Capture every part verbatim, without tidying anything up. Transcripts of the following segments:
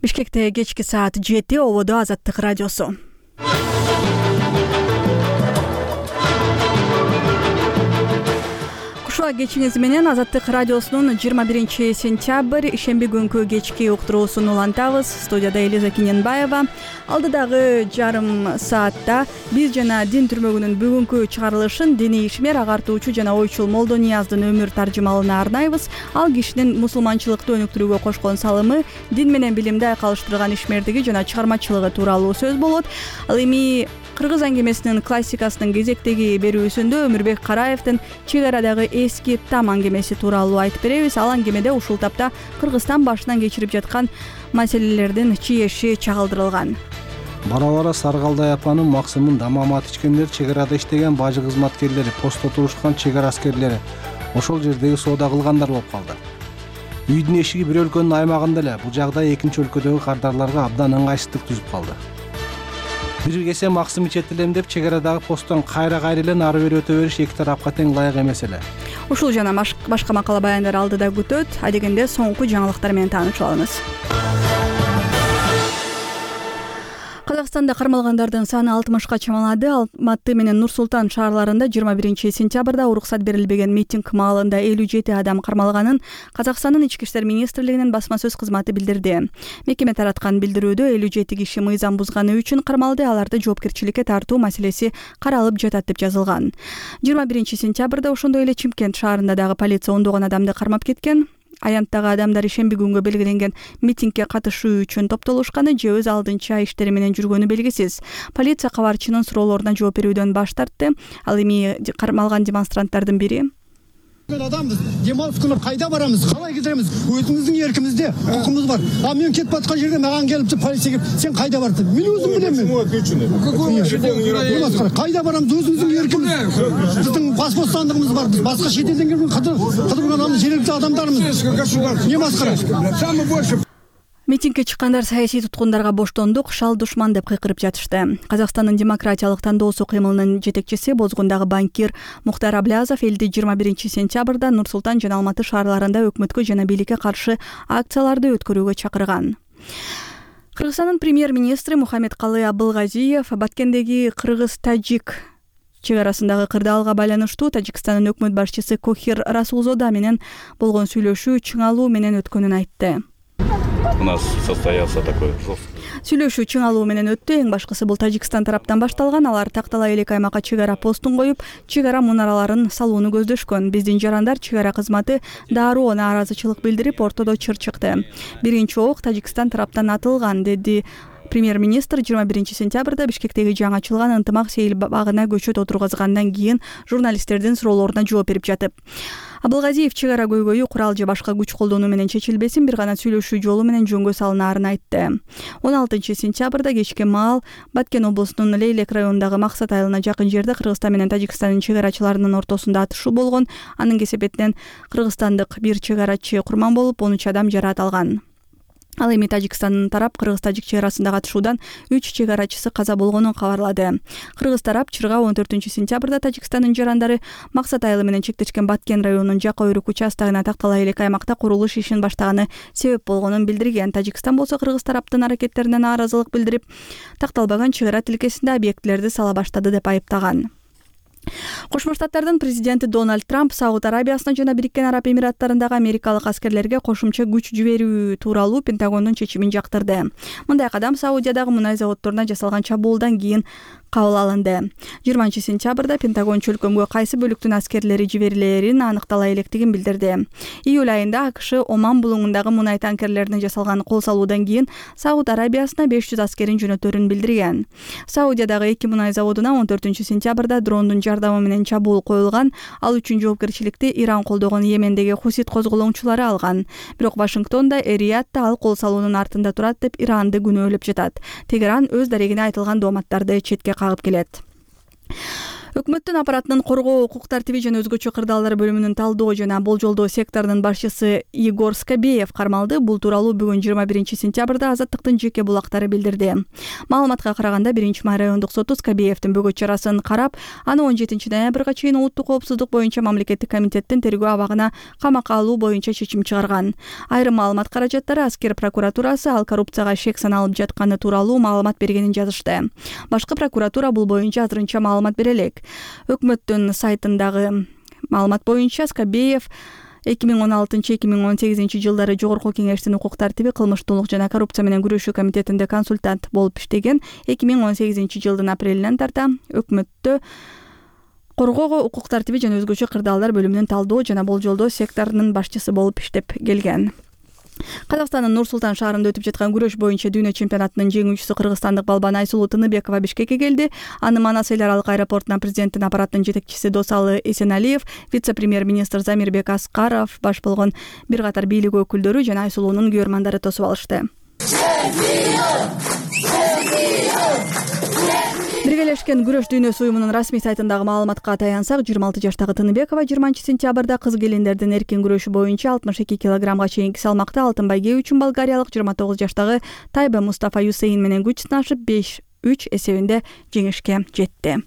Бишкекте кечки саат жети, ободо Азаттык радиосу. Кушуа кечиңиз менен Азаттык радиосунун жыйырма биринчи сентябрь ишемби күнкү кечки уктуруусун улантабыз. Студияда Элиза Киненбаева. Алдыдагы жарым саатта биз жана дин түрмөгүнүн бүгүнкү чыгарылышын диний ишмер, агартуучу жана ойчул Молдо Нияздын өмүр таржымалына арнайбыз. Ал кишинин мусулманчылыкты өнүктүрүүгө кошкон салымы, дин менен билимди айкалыштырган ишмердиги жана чыгармачылыгы тууралуу сөз болот. Ал эми Кыргыз аңгемесинин классикасынын кезектеги берүүсүндө Өмүрбек Караевдин чек арадагы эски там аңгемеси тууралуу айтып беребиз. Ал аңгемеде ушул тапта Кыргызстан башынан кечирип жаткан маселелердин чиеши чагылдырылган. Бара-бара Саргалдай апанын максымын дамамат ичкендер, чек арада иштеген бажы кызматкерлери, постто турушкан чек ара аскерлери ошол жердеги соода кылгандар болуп калды. Үйдүн эшиги бир өлкөнүн аймагында эле, бул жагдай экинчи өлкөдөгү кардарларга абдан ыңгайсыздык түзүп калды. Бир кесе максым ичет элем деп чек арадагы посттон кайра-кайра эле нары бери өтө бериш эки тарапка тең ылайык эмес эле. Ушул жана башка макала баяндар алдыда күтөт. Адегенде соңку жаңылыктар менен таанышып алыңыз. Казакстанда кармалгандардын саны алтымышка чамалады. Алматы менен Нур Султан шаарларында жыйырма биринчи сентябрда уруксат берилбеген митинг маалында элүү жети адам кармалганын Казакстандын ички иштер министрлигинин басма сөз кызматы билдирди. Мекеме тараткан билдирүүдө элүү жети киши мыйзам бузганы үчүн кармалды, аларды жоопкерчиликке тартуу маселеси каралып жатат деп жазылган. жыйырма биринчи сентябрда ошондой эле Чимкент шаарында дагы полиция ондогон адамды кармап кеткен. Аянттагы адамдар ишемби күнгө белгиленген митингге катышуу үчүн топтолушканы же өз алдынча иштери менен жүргөнү белгисиз. Полиция кабарчынын суроолоруна жооп берүүдөн баш тартты. Ал эми кармалган демонстранттардын бири адамбыз, демалыс күнү кайда барамыз, калай кетемиз, өзүбүздүн эркибизде укугубуз бар. А мен кетип аткан жерде маған келип полиция келип, сен кайда бардың? Мен өзүм билем. Кайда барамыз, өзүбүздүн эркибиз. Биздин бас бостандыгыбыз бар. Биз башка чет элден келген кыдырган адамбыз, жергиликтүү адамдарбыз. Не маскара? Самый больше. Митингге чыккандар саясий туткундарга боштондук, шал душман деп кыйкырып жатышты. Казакстандын демократиялык тандоосу кыймылынын жетекчиси, Бозгундагы банкир Мухтар Аблязов элди жыйырма биринчи сентябрда Нур Султан жана Алматы шаарларында өкмөткө жана бийликке каршы акцияларды өткөрүүгө чакырган. Кыргызстандын премьер-министри Мухаммедкалы Абылгазиев Баткендеги кыргыз-тажик чек арасындагы кырдаалга байланыштуу Тажикстандын өкмөт башчысы Кохир Расулзода менен болгон сүйлөшүү чыңалуу менен өткөнүн айтты. У нас состоялся такой жесткий. Сүйлөшүү чыңалуу менен өттү. Эң башкысы бул Тажикстан тараптан башталган. Алар Тактала элек аймакка чек ара постун коюп, чек ара мунараларын салууну көздөшкөн. Биздин жарандар чек ара кызматы дароо нааразычылык билдирип, ортодо чыр чыкты. Биринчи ок Тажикстан тараптан атылган, деди премьер-министр жыйырма биринчи сентябрда Бишкектеги жаңы ачылган ынтымак сейил багына көчөт отургузгандан кийин журналисттердин суроолоруна жооп берип жатып. Абылгазиев чек ара көйгөйү курал же башка күч колдонуу менен чечилбесин, бир гана сүйлөшүү жолу менен жөнгө салынаарын айтты. он алтынчы сентябрда кечки маал Баткен облусунун Лейлек районундагы Максат айылына жакын жерде Кыргызстан менен Тажикстандын чек арачыларынын ортосунда атышуу болгон. Анын кесепетинен кыргызстандык бир чек арачы курман болуп, он үч адам жараат алган. Ал эми Тажикстандын тарап кыргыз-тажик чек арасындагы атышуудан үч чек арачысы каза болгонун кабарлады. Кыргыз тарап чырга он төртүнчү сентябрда Тажикстандын жарандары Максат айылы менен чектешкен Баткен районунун Жака Өрүк участогуна Тактала элек аймакта курулуш ишин баштаганы себеп болгонун билдирген. Тажикстан болсо Кыргыз тараптын аракеттерине нааразылык билдирип, такталбаган чек ара тилкесинде объектилерди сала баштады деп айыптаган. Кошмо Штаттардын президенти Дональд Трамп Сауд Арабиясына жана Бириккен Араб Эмираттарындагы америкалык аскерлерге кошумча күч жиберүү тууралуу Пентагондун чечимин жактырды. Мындай кадам Саудиядагы мунай заводдоруна жасалган чабуулдан кийин кабыл алынды. жыйырманчы сентябрда Пентагон чөлкөмгө кайсы бөлүктүн аскерлери жиберилерин аныктала электигин билдирди. Июль айында АКШ Оман булуңундагы мунай танкерлерине жасалган кол салуудан кийин Сауд Арабиясына беш жүз аскерин жөнөтөрүн билдирген. Саудиядагы эки мунай заводуна он төртүнчү сентябрда дрондун жардамы менен чабуул коюлган. Ал үчүн жоопкерчиликти Иран колдогон Йемендеги Хусит козголоңчулары алган. Бирок Вашингтонда Эриятта ал кол салуунун артында турат деп Иранды күнөөлөп жатат. Тегеран өз дарегине айтылган дооматтарды четке кагып келет. Өкмөттүн аппаратынын коргоо, укук тартиби жана өзгөчө кырдаалдар бөлүмүнүн талдоо жана болжолдоо секторунун башчысы Игорь Скобеев кармалды. Бул тууралуу бүгүн жыйырма биринчи сентябрда Азаттыктын жеке булактары билдирди. Маалыматка караганда биринчи май райондук соту Скобеевдин бөгөт чарасын карап, аны он жетинчи ноябрга чейин улуттук коопсуздук боюнча мамлекеттик комитеттин тергөө абагына камакка алуу боюнча чечим чыгарган. Айрым маалымат каражаттары аскер прокуратурасы ал коррупцияга шек саналып жатканы тууралуу маалымат бергенин жазышты. Башкы прокуратура бул боюнча азырынча маалымат бере элек. Өкмөттүн сайтындагы маалымат боюнча Скобеев эки миң он алтынчы — эки миң он сегизинчи жылдары Жогорку Кеңештин укук тартиби, кылмыштуулук жана коррупция менен күрөшүү комитетинде консультант болуп иштеген. эки миң он сегизинчи жылдын апрелинен тарта өкмөттө коргоо, укук тартиби жана өзгөчө кырдаалдар бөлүмүнүн талдоо жана болжолдоо секторунун башчысы болуп иштеп келген. Казакстандын Нур-Султан шаарында өтүп жаткан күрөш боюнча дүйнө чемпионатынын жеңүүчүсү кыргызстандык балбан Айсулуу Тыныбекова Бишкекке келди. Аны Манас эл аралык аэропортунан президенттин аппаратынын жетекчиси Досалы Эсеналиев, вице-премьер-министр Замирбек Аскаров, баш болгон бир катар бийлик өкүлдөрү жана Айсулуунун күйөрмандары тосуп алышты. Биргелешкен күрөш дүйнөсү уюмунун расмий сайтындагы маалыматка таянсак, жыйырма алты жаштагы Тыныбекова жыйырманчы сентябрда кыз келиндердин эркин күрөшү боюнча алтымыш эки килограммга чейинки салмакта алтын байге үчүн болгариялык жыйырма тогуз жаштагы Тайба Мустафа Юсейин менен күч сынашып беш үч эсебинде жеңишке жетти.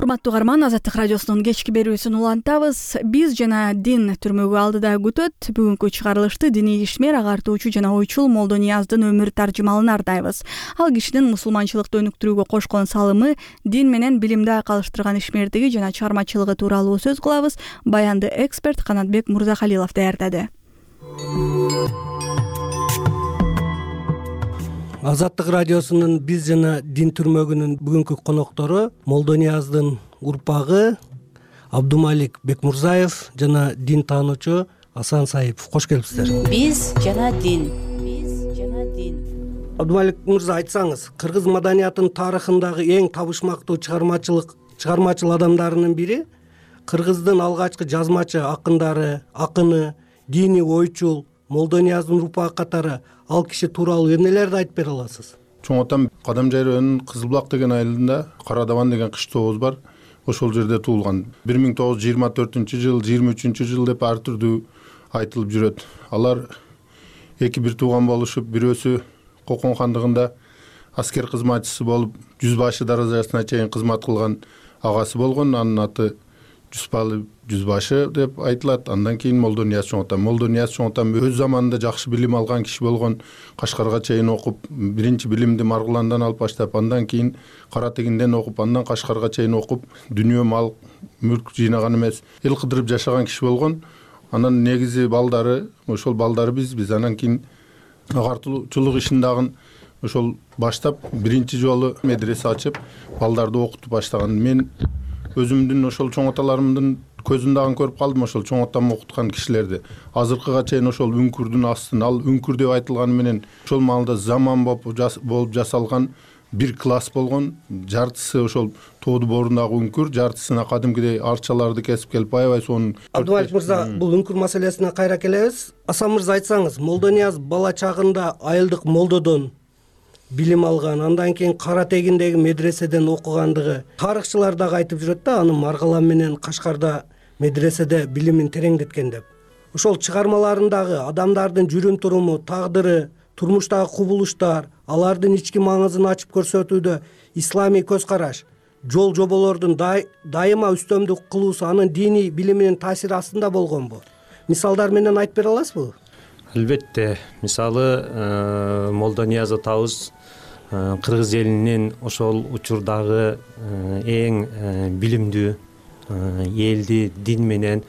Урматтуу угарман, Азаттык радиосунун кечки берүүсүн улантабыз. Биз жана дин түрмөгү алдыда күтөт. Бүгүнкү чыгарылышты диний ишмер, агартуучу жана ойчул Молдонияздын өмүр таржымалына ардайбыз. Ал кишинин мусулманчылыкты өнүктүрүүгө кошкон салымы, дин менен билимди айкалыштырган ишмердиги жана чыгармачылыгы тууралуу сөз кылабыз. Баянды эксперт Канатбек Мурзахалилов даярдады. Азаттык радиосунун биз жана дин түрмөгүнүн бүгүнкү коноктору Молдонияздын урпагы Абдумалик Бекмурзаев жана дин таануучу Асан Саипов. Кош келипсиздер. Биз жана дин. Биз жана дин. Абдумалик мырза, айтсаңыз, кыргыз маданиятынын тарыхындагы эң табышмактуу чыгармачылык чыгармачыл адамдарынын бири, кыргыздын алгачкы жазмачы акындары, акыны, диний ойчул Молдонияздын урпагы катары ал киши тууралуу эмнелерди айтып бере аласыз? Чоң атам Кадамжай районунун Кызылбулак деген айылында Карадабан деген кыштообуз бар. Ошол жерде туулган. бир миң тогуз жүз жыйырма төртүнчү жыл, жыйырма үчүнчү жыл деп ар түрдүү айтылып жүрөт. Алар эки бир тууган болушуп, бирөөсү Кокон хандыгында аскер кызматчысы болуп, жүз башы даражасына чейин кызмат кылган агасы болгон. Анын аты Жүспалы жүзбашы деп айтылат. Андан кийин Молдонияз чоң атам. Молдонияз чоң атам өз заманында жакшы билим алган киши болгон. Кашкарга чейин окуп, биринчи билимди Маргуландан алып баштап, андан кийин Кара Тегинден окуп, андан Кашкарга чейин окуп, дүнүйө мал, мүлк жыйнаган эмес, эл кыдырып жашаган киши болгон. Анан негизи балдары, ошол балдары биз, биз анан кийин агартуучулук ишин дагы ошол баштап биринчи жолу медресе ачып, балдарды окутуп баштаган. Мен өзүмдүн ошол чоң аталарымдын көзүн дагы көрүп калдым, ошол чоң атам окуткан кишилерди. Азыркыга чейин ошол үңкүрдүн астын, ал үңкүр деп айтылганы менен ошол маалда заман болуп жасалган бир класс болгон. Жартысы ошол тоодуу боорундагы үңкүр, жартысына кадимкидей арчаларды кесип келип аябай сонун. Абдумалик мырза, бул үңкүр маселесине кайра келебиз. Асан мырза, айтсаңыз, Молдонияз бала чагында айылдык молдодон билим алган, андан кийин Кара Тегиндеги медреседен окугандыгы тарыхчылар дагы айтып жүрөт да, аны Маргалам менен Кашкарда медреседе билимин тереңдеткен деп. Ошол чыгармаларындагы адамдардын жүрүм туруму, тагдыры, турмуштагы кубулуштар, алардын ички маңызын ачып көрсөтүүдө исламий көз караш, жол жоболордун дайыма үстөмдүк кылуусу анын диний билиминин таасири астында болгонбу? Мисалдар менен айтып бере аласызбы? Албетте. Мисалы, Молдонияз атабыз кыргыз элинин ошол учурдагы эң билимдүү элди дин менен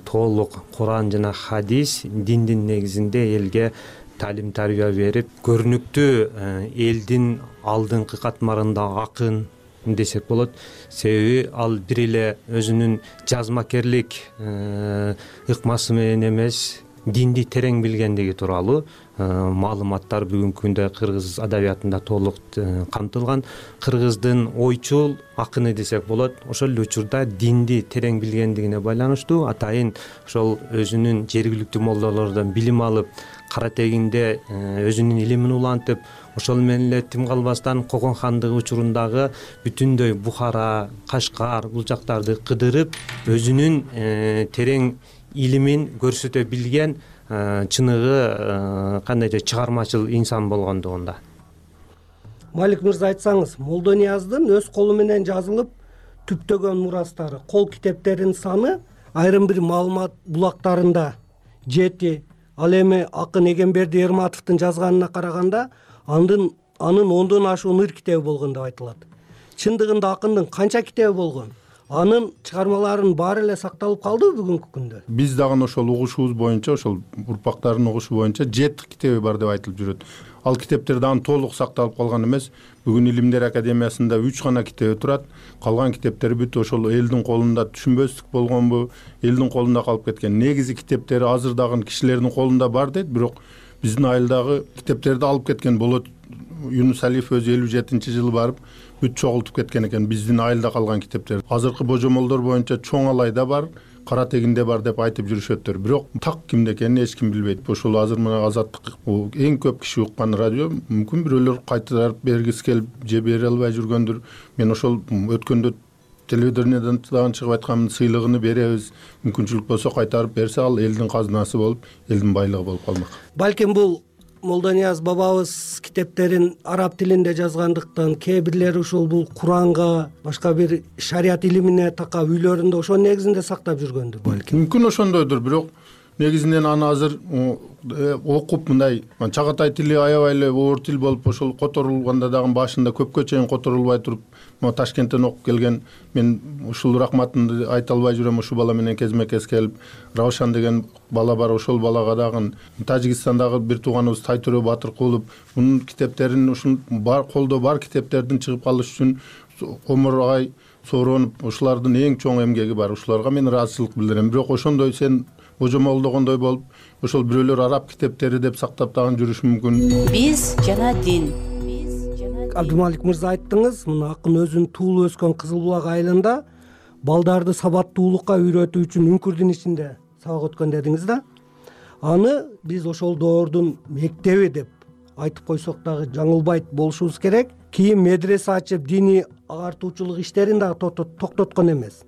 толук Куран жана хадис, диндин негизинде элге талим тарбия берип, көрүнүктүү элдин алдыңкы катмарында акын десек болот. Себеби ал бир эле өзүнүн жазмакерлик ыкмасы менен эмес, динди терең билгендиги тууралуу маалыматтар бүгүнкү күндө кыргыз адабиятында толук камтылган. Кыргыздын ойчул акыны десек болот. Ошол эле учурда динди терең билгендигине байланыштуу атайын ошол өзүнүн жергиликтүү молдолордон билим алып, кара тегинде өзүнүн илимин улантып, ошол менен эле тим калбастан Когон хандыгы учурундагы бүтүндөй Бухара, Кашкар бул жактарды кыдырып, өзүнүн терең илимин көрсөтө билген чыныгы кандайдыр чыгармачыл инсан болгондугунда. Малик мырза, айтсаңыз, Молдонияздын өз колу менен жазылып түптөгөн мурастары, кол китептеринин саны айрым бир маалымат булактарында жети, ал эми акын Эгемберди Эрматовдун жазганына караганда анын анын ондон ашуун ыр китеби болгон деп айтылат. Чындыгында акындын канча китеби болгон? Анын чыгармаларынын баары эле сакталып калдыбы бүгүнкү күндө? Биз дагы ошол угушубуз боюнча, ошол урпактардын угушу боюнча жети китеби бар деп айтылып жүрөт. Ал китептер дагы толук сакталып калган эмес. Бүгүн Илимдер академиясында үч гана китеби турат. Калган китептер бүт ошол элдин колунда түшүнбөстүк болгонбу, элдин колунда калып кеткен. Негизи китептери азыр дагы кишилердин колунда бар дейт, бирок биздин айылдагы китептерди алып кеткен болот. Юнус Алиев өзү элүү жетинчи жылы барып бүт чогултуп кеткен экен биздин айылда калган китептер. Азыркы божомолдор боюнча Чоң Алайда бар, Кара тегинде бар деп айтып жүрүшөттөр. Бирок так кимде экенин эч ким билбейт. Ошол азыр мына Азаттык эң көп киши уккан радио, мүмкүн бирөөлөр кайтарып бергиси келип же бере албай жүргөндүр. Мен ошол өткөндө телевидениеден дагы чыгып айткан сыйлыгын беребиз. Мүмкүнчүлүк болсо кайтарып берсе, ал элдин казынасы болуп, элдин байлыгы болуп калмак. Балким бул Молдонияз бабабыз китептерин араб тилинде жазгандыктан, кээ бирлери ушул бул Куранга, башка бир шарият илимине такап үйлөрүндө ошо негизинде сактап жүргөндүр балким. Мүмкүн ошондойдур, бирок негизинен аны азыр окуп мындай чагатай тили аябай эле оор тил болуп, ошол которулганда дагы башында көпкө чейин которулбай туруп, мына Ташкенттен окуп келген, мен ушул рахматымды айта албай жүрөм. Ушул бала менен кезме-кез келип, Равшан деген бала бар, ошол балага дагы Тажикстандагы бир тууганыбыз Тайтөрө Батыркулов мунун китептерин, ушул бар колдо бар китептердин чыгып калыш үчүн Омургай сооронуп, ушулардын эң чоң эмгеги бар. Ушуларга мен ыраазычылык билдирем. Бирок ошондой сен божомолдогондой болуп, ошол бирөөлөр араб китептери деп сактап дагы жүрүшү мүмкүн. Биз жана дин. Абдымалик мырза, айттыңыз, мына акын өзүнүн туулуп өскөн Кызыл Булак айылында балдарды сабаттуулукка үйрөтүү үчүн үңкүрдүн ичинде сабак өткөн дедиңиз да. Аны биз ошол доордун мектеби деп айтып койсок дагы жаңылбайт болушубуз керек. Кийин медресе ачып, диний агартуучулук иштерин дагы токтоткон эмес.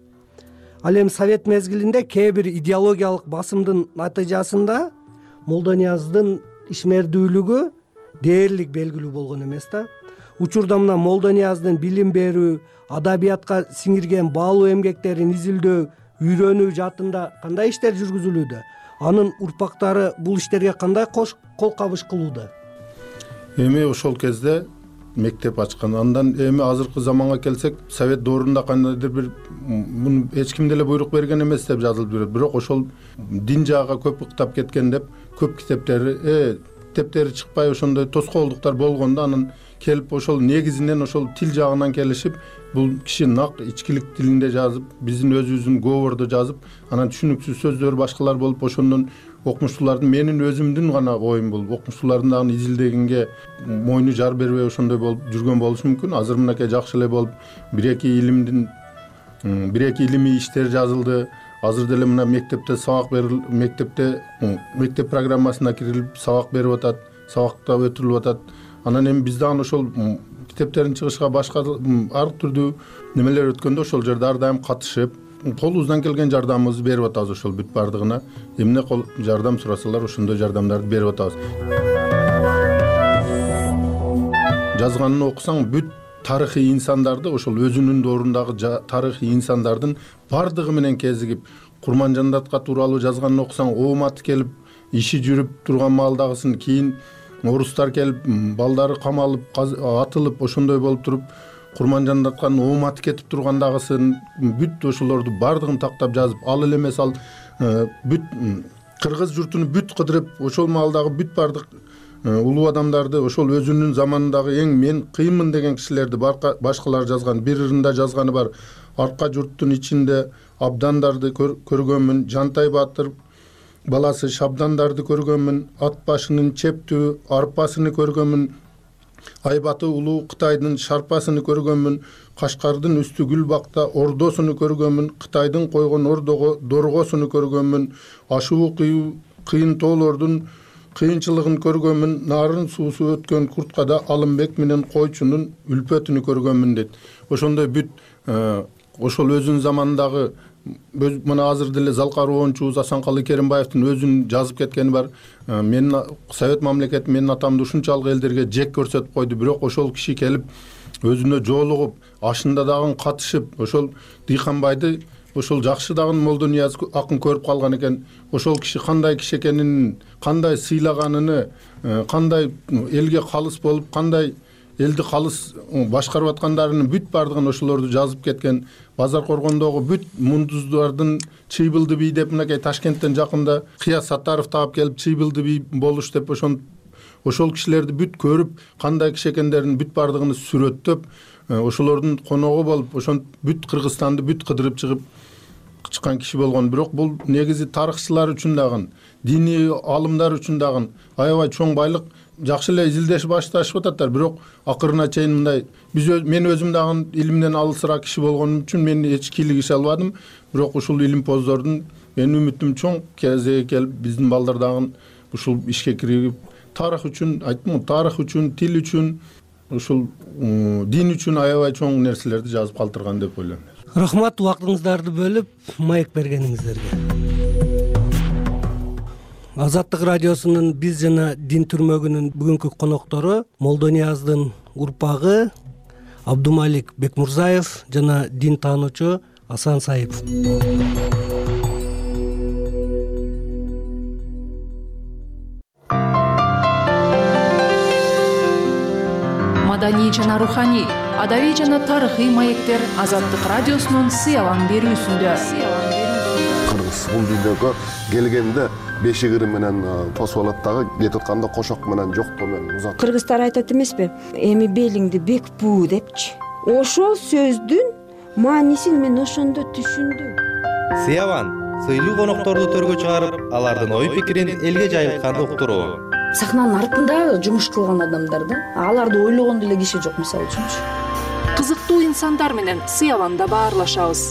Ал эми Совет мезгилинде кээ бир идеологиялык басымдын натыйжасында Молдонияздын ишмердүүлүгү дээрлик белгилүү болгон эмес да. Учурда мына Молдонияздын билим берүү, адабиятка сиңирген баалуу эмгектерин изилдөө, үйрөнүү жаатында кандай иштер жүргүзүлүүдө? Анын урпактары бул иштерге кандай кол кабыш кылууда? Эми ошол кезде мектеп ачкан. Андан эми азыркы заманга келсек, Совет доорунда кандайдыр бир муну эч ким деле буйрук берген эмес деп жазылып жүрөт. Бирок ошол дин жагы көп ыктап кеткен деп көп китептери, э китептери чыкпай ошондой тоскоолдуктар болгондо анан келип ошол негизинен ошол тил жагынан келишип, бул киши нак ичкилик тилинде жазып, биздин өзүбүздүн говордо жазып, анан түшүнүксүз сөздөр башкалар болуп, ошондон окумуштуулардын, менин өзүмдүн гана оюм бул, окумуштуулардын дагы изилдегенге мойну жар бербей ошондой болуп жүргөн болушу мүмкүн. Азыр мынакей жакшы эле болуп, бир-эки илимдин бир-эки илимий иштер жазылды. Азыр деле мына мектепте сабак берил, мектепте мектеп программасына кирилип сабак берип атат, сабакта өтүрүлүп атат. Анан эми биз дагы ошол китептерин чыгышка башка ар түрдүү немелер өткөндө ошол жерде ар дайым катышып, колубуздан келген жардамыбызды берип атабыз. Ошол бүт бардыгына эмне жардам сурасалар, ошондой жардамдарды берип атабыз. Жазганын окусаң, бүт тарыхый инсандарды, ошол өзүнүн доорундагы тарыхый инсандардын бардыгы менен кезигип, Курманжандатка тууралуу жазганын окусаң, ооматы келип, иши жүрүп турган маалдагысын, кийин орустар келип, балдары камалып, атылып, ошондой болуп туруп, Курманжандатканын ооматы кетип тургандагысын, бүт ошолорду бардыгын тактап жазып, ал эле эмес, ал бүт кыргыз журтуну бүт кыдырып, ошол маалдагы бүт бардык улуу адамдарды, ошол өзүнүн заманындагы эң мен кыйынмын деген кишилерди башкалар жазган, бир ырында жазганы бар. Арка журттун ичинде абдандарды көргөнмүн, Жантай Батыр баласы шабдандарды көргөнмүн, ат башынын чептүү арпасыны көргөнмүн, айбаты улуу Кытайдын шарпасыны көргөнмүн, Кашкардын үстү Гүлбакта ордосуну көргөнмүн, Кытайдын койгон ордого доргосуну көргөнмүн, ашуу кыйын тоолордун кыйынчылыгын көргөнмүн, нарын суусу өткөн Курткада Алымбек менен койчунун үлпөтүнү көргөнмүн дейт. Ошондой бүт ошол өзүнүн заманындагы мына азыр деле Залкар оончубуз Асанкалы Керимбаевдин өзүнүн жазып кеткени бар. Мен Совет мамлекети менин атамды ушунчалык элдерге жек көрсөтүп койду, бирок ошол киши келип өзүнө жоолугуп, ашында дагы катышып, ошол Дыйканбайды ошол жакшы дагы Молдонияз акын көрүп калган экен. Ошол киши кандай киши экенин, кандай сыйлаганын, кандай элге калыс болуп, кандай элди калыс башкарып аткандарынын бүт бардыгын ошолорду жазып кеткен. Базар Коргондогу бүт мундуздардын Чыйбылды бий деп мынакей Ташкенттен жакында Кыяз Саттаров таап келип Чыйбылды бий болуш деп ошон ошол кишилерди бүт көрүп, кандай киши экендерин бүт бардыгын сүрөттөп, ошолордун коногу болуп, ошон бүт Кыргызстанды бүт кыдырып чыгып чыккан киши болгон. Бирок бул негизи тарыхчылар үчүн дагы, диний алымдар үчүн дагы аябай чоң байлык. Жакшы эле изилдеш башташып ататтар, бирок акырына чейин мындай биз мен өзүм дагы илимден алысыраак киши болгонум үчүн мен эч кийлигише албадым. Бирок ушул илимпоздордун менин үмүтүм чоң, кезеги келип биздин балдар дагы ушул ишке кирип, тарых үчүн, айттым, тарых үчүн, тил үчүн, ушул дин үчүн аябай чоң нерселерди жазып калтырган деп ойлойм. Рахмат убактыңыздарды бөлүп маек бергениңиздерге. Азаттык радиосунун биз жана дин түрмөгүнүн бүгүнкү коноктору Молдонияздын урпагы Абдумалик Бекмурзаев жана дин таануучу Асан Саипов. Маданий жана руханий, адабий жана тарыхый маектер Азаттык радиосунун сыялан берүүсүндө. Кыргыз бул дүйнөгө келгенде бешигири менен тосуп алат дагы, кетип атканда кошок менен жоктоо менен узат. Кыргыздар айтат эмеспи? Эми белиңди бек буу депчи. Ошол сөздүн маанисин мен ошондо түшүндүм. Сыяван сыйлуу конокторду төргө чыгарып, алардын ой пикирин элге жайылтканды уктуруу. Сахнанын артында жумуш кылган адамдар да, аларды ойлогон деле киши жок, мисалы үчүнчү. Кызыктуу инсандар менен сыяванда баарлашабыз.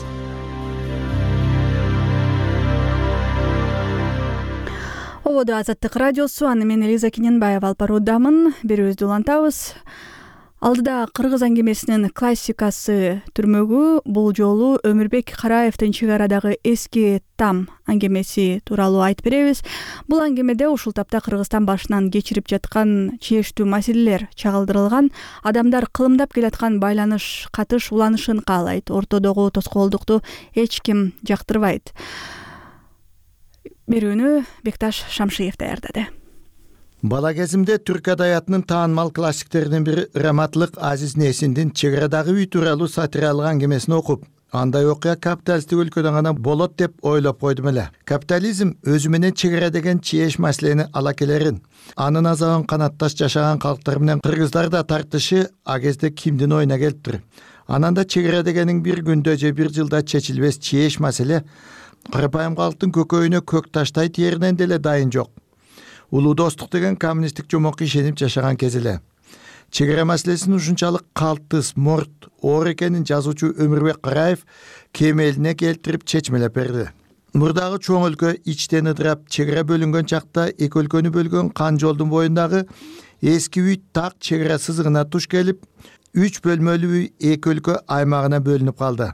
Ободо Азаттык радиосу, аны мен Элиза Кененбаева алып баруудамын. Берүүбүздү улантабыз. Алдыда кыргыз аңгемесинин классикасы түрмөгү бул жолу Өмүрбек Караевдин чек арадагы эски там аңгемеси тууралуу айтып беребиз. Бул аңгемеде ушул тапта Кыргызстан башынан кечирип жаткан чечтүү маселелер чагылдырылган, адамдар кылымдап келаткан байланыш, катыш уланышын каалайт. Ортодогу тоскоолдукту эч ким жактырбайт. Берүүнү Бекташ Шамшиев даярдады. Бала кезимде түрк адаятынын таанымал классиктеринин бири Раматлык Азиз Несиндин чек арадагы үй тууралуу сатиралык аңгемесин окуп, андай окуя капиталисттик өлкөдө гана болот деп ойлоп койдум эле. Капитализм өзү менен чек ара деген чиеш маселени ала келерин, анын азабын канатташ жашаган калктар менен кыргыздар да тартышы а кезде кимдин оюна келиптир. Анан да чек ара дегенин бир күндө же бир жылда чечилбес чиеш маселе карапайым калктын көкөйүнө көк таштай тиеринен деле дайын жок. Улуу достук деген коммунисттик жомокко ишенип жашаган кез эле. Чек ара маселесинин ушунчалык калтыс, морт, оор экенин жазуучу Өмүрбек Караев кемелине келтирип чечмелеп берди. Мурдагы чоң өлкө ичтен ыдырап, чек ара бөлүнгөн чакта эки өлкөнү бөлгөн кан жолдун боюндагы эски үй так чек ара сызыгына туш келип, үч бөлмөлүү үй эки өлкө аймагына бөлүнүп калды.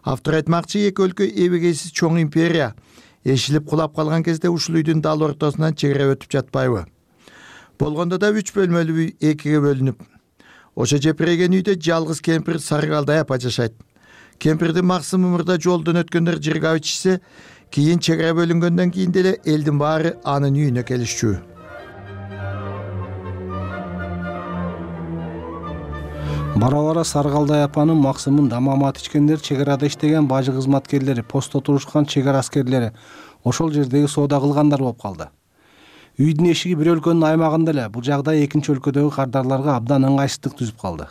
Автор айтмакчы, эки өлкө эбегейсиз чоң империя. Эшилип кулап калган кезде ушул үйдүн дал ортосунан чек ара өтүп жатпайбы? Болгондо да үч бөлмөлүү үй экиге бөлүнүп. Ошо жепиреген үйдө жалгыз кемпир Саргалдай апа жашайт. Кемпирдин максымы мурда жолдон өткөндөр жыргап ичсе, кийин чек ара бөлүнгөндөн кийин деле элдин баары анын үйүнө келишчү. Бара-бара Саргалдай апанын максымын дамамат ичкендер, чек арада иштеген бажы кызматкерлери, постто турушкан чек ара аскерлери, ошол жердеги соода кылгандар болуп калды. Үйдүн эшиги бир өлкөнүн аймагында эле, бул жагдай экинчи өлкөдөгү кардарларга абдан ыңгайсыздык түзүп калды.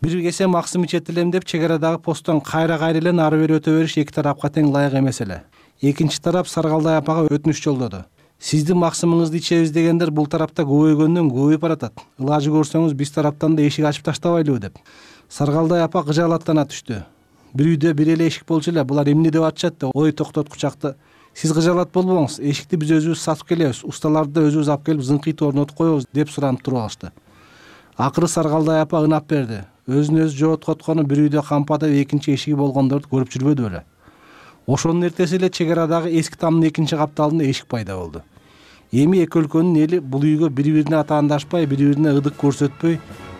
Бир кесе максым ичет элем деп чек арадагы посттон кайра кайра эле нары бери өтө бериш эки тарапка тең ылайык эмес эле. Экинчи тарап Саргалдай апага өтүнүч жолдоду. Сиздин максымыңызды ичебиз дегендер бул тарапта көбөйгөндөн көбөйүп баратат. Ылажы көрсөңүз биз тараптан да эшик ачып таштабайлыбы деп. Саргалдай апа кыжаалаттана түштү. Бир үйдө бир эле эшик болчу эле, булар эмне деп атышат деп ой токтоткучакты. Сиз кыжаалат болбоңуз, эшикти биз өзүбүз сатып келебиз,усталарды да өзүбүз алып келип зыңкыйт орнотуп коебуз деп суранып туруп алышты. Акыры Саргалдай апа ынап берди. Өзүн өзү жооткоткону бир үйдө кампада экинчи эшиги болгондорду көрүп жүрбөдү беле. Ошонун эртеси эле чек арадагы эски тамдын экинчи капталында эшик пайда болду. Эми эки өлкөнүн эли бул үйгө бири-бирине атаандашпай, бири-бирине ыдык көрсөтпөй,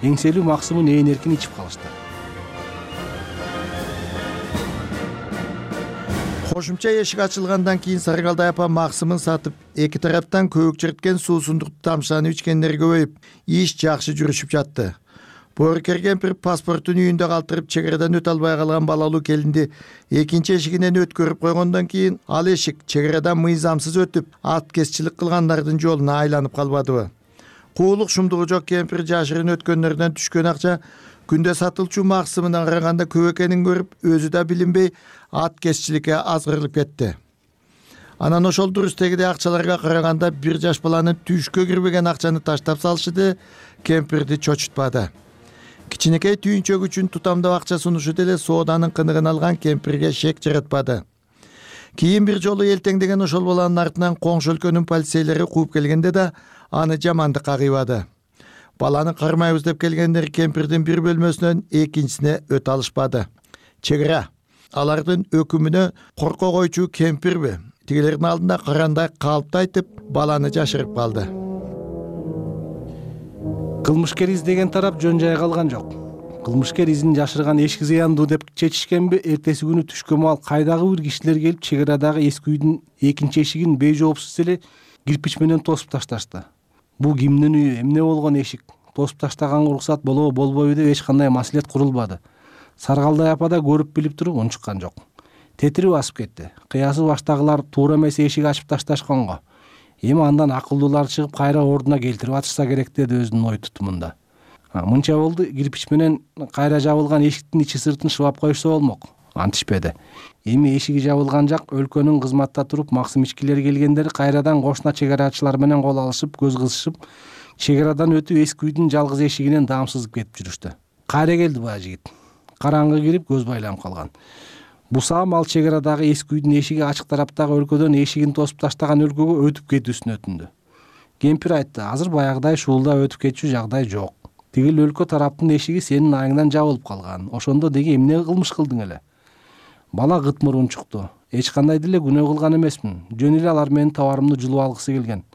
эңселүү максымын ээн эркин ичип калышты. Кошумча эшик ачылгандан кийин Саргалдай апа максымын сатып, эки тараптан көбүк чирткен суусундукту тамшанып ичкендер көбөйүп, иш жакшы жүрүшүп жатты. Боорукер кемпир паспортун үйүндө калтырып, чек арадан өтө албай калган балалуу келинди экинчи эшигинен өткөрүп койгондон кийин ал эшик чек арадан мыйзамсыз өтүп, ат кесчилик кылгандардын жолуна айланып калбадыбы. Куулук шумдугу жок кемпир жашырын өткөндөрдөн түшкөн акча күндө сатылчу максымына караганда көп экенин көрүп, өзү да билинбей ат кесчиликке азгырылып кетти. Анан ошол дурустегидей акчаларга караганда бир жаш баланын түшкө кирбеген акчаны таштап салышы кемпирди чочутпады. Кичинекей түйүнчөк үчүн тутамдап акча сунушу деле сооданын кыныгын алган кемпирге шек жаратпады. Кийин бир жолу элтеңдеген ошол баланын артынан коңшу өлкөнүн полицейлери кууп келгенде да аны жамандыкка кыйбады. Баланы кармайбыз деп келгендер кемпирдин бир бөлмөсүнөн экинчисине өтө алышпады. Чек ара алардын өкүмүнө корко койчу кемпирби, тигилердин алдында карандай калпты айтып, баланы жашырып калды. Кылмышкер издеген тарап жөн жай калган жок. Кылмышкер изин жашырган эшик зыяндуу деп чечишкенби, эртеси күнү түшкө маал кайдагы бир кишилер келип чек арадагы эски үйдүн экинчи эшигин бейжоопсуз эле кирпич менен тосуп ташташты. Бул кимдин үйү, эмне болгон эшик, тосуп таштаганга уруксат болобу болбойбу деп эч кандай маселет курулбады. Саргалдай апа да көрүп билип туруп унчуккан жок. Тетири басып кетти. Кыясы баштагылар туура эмес эшик ачып ташташканга. Эми андан акылдуулар чыгып кайра ордуна келтирип атышса керек деди өзүнүн ой тутумунда. Мынча болду, кирпич менен кайра жабылган эшиктин ичи сыртын шыбап коюшса болмок. Антишпеди. Эми эшиги жабылган жак өлкөнүн кызматта туруп максым ичкилери келгендер кайрадан кошуна чек арачылар менен кол алышып, көз кызышып, чек арадан өтүп эски үйдүн жалгыз эшигинен даамсызып кетип жүрүштү. Кайра келди баа жигит. Караңгы кирип көз байланып калган. Бусам ал чек арадагы эски үйдүн эшиги ачык тараптагы өлкөдөн эшигин тосуп таштаган өлкөгө өтүп кетүүсүн өтүндү. Кемпир айтты, азыр баягыдай шуулда өтүп кетчү жагдай жок. Тигил өлкө тараптын эшиги сенин айыңдан жабылып калган. Ошондо деги эмне кылмыш кылдың эле? Бала гытмыр унчукту. Эч кандай деле күнөө кылган эмесмин. Жөн эле алар менин товарымды жулуп алгысы келген.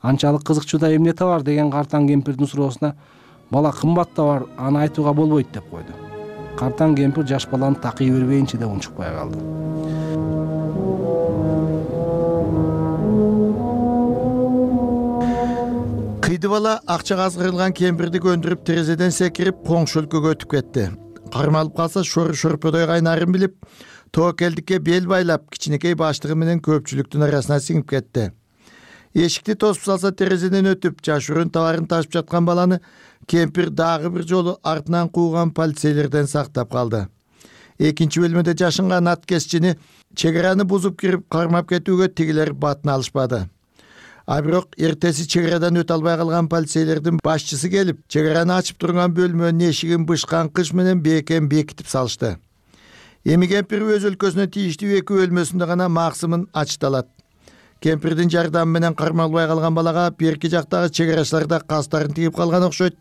Анчалык кызыкчу да эмне товар деген картаң кемпирдин суроосуна бала кымбат товар, аны айтууга болбойт деп койду. Картаң кемпир жаш баланы такый бербейинчи деп унчукпай калды. Кыйды бала акчага азгырылган кемпирди көндүрүп терезеден секирип коңшу өлкөгө өтүп кетти. Кармалып калса шор-шорподой кайнарын билип, тоокелдикке бел байлап, кичинекей баштыгы менен көпчүлүктүн арасына сиңип кетти. Эшикти тосуп салса терезеден өтүп, жашыруун товарын ташып жаткан баланы кемпир дагы бир жолу артынан кууган полицейлерден сактап калды. Экинчи бөлмөдө жашынган ат кесчини чек араны бузуп кирип кармап кетүүгө тигилер батын алышпады. А бирок эртеси чек арадан өтө албай калган полицейлердин башчысы келип, чек араны ачып турган бөлмөнүн эшигин бышкан кыш менен бекем бекитип салышты. Эми кемпир өз өлкөсүнө тийиштүү эки бөлмөсүндө гана максымын ачыта алат. Кемпирдин жардамы менен кармалбай калган балага берки жактагы чек арачылар да кастарын тигип калган окшойт.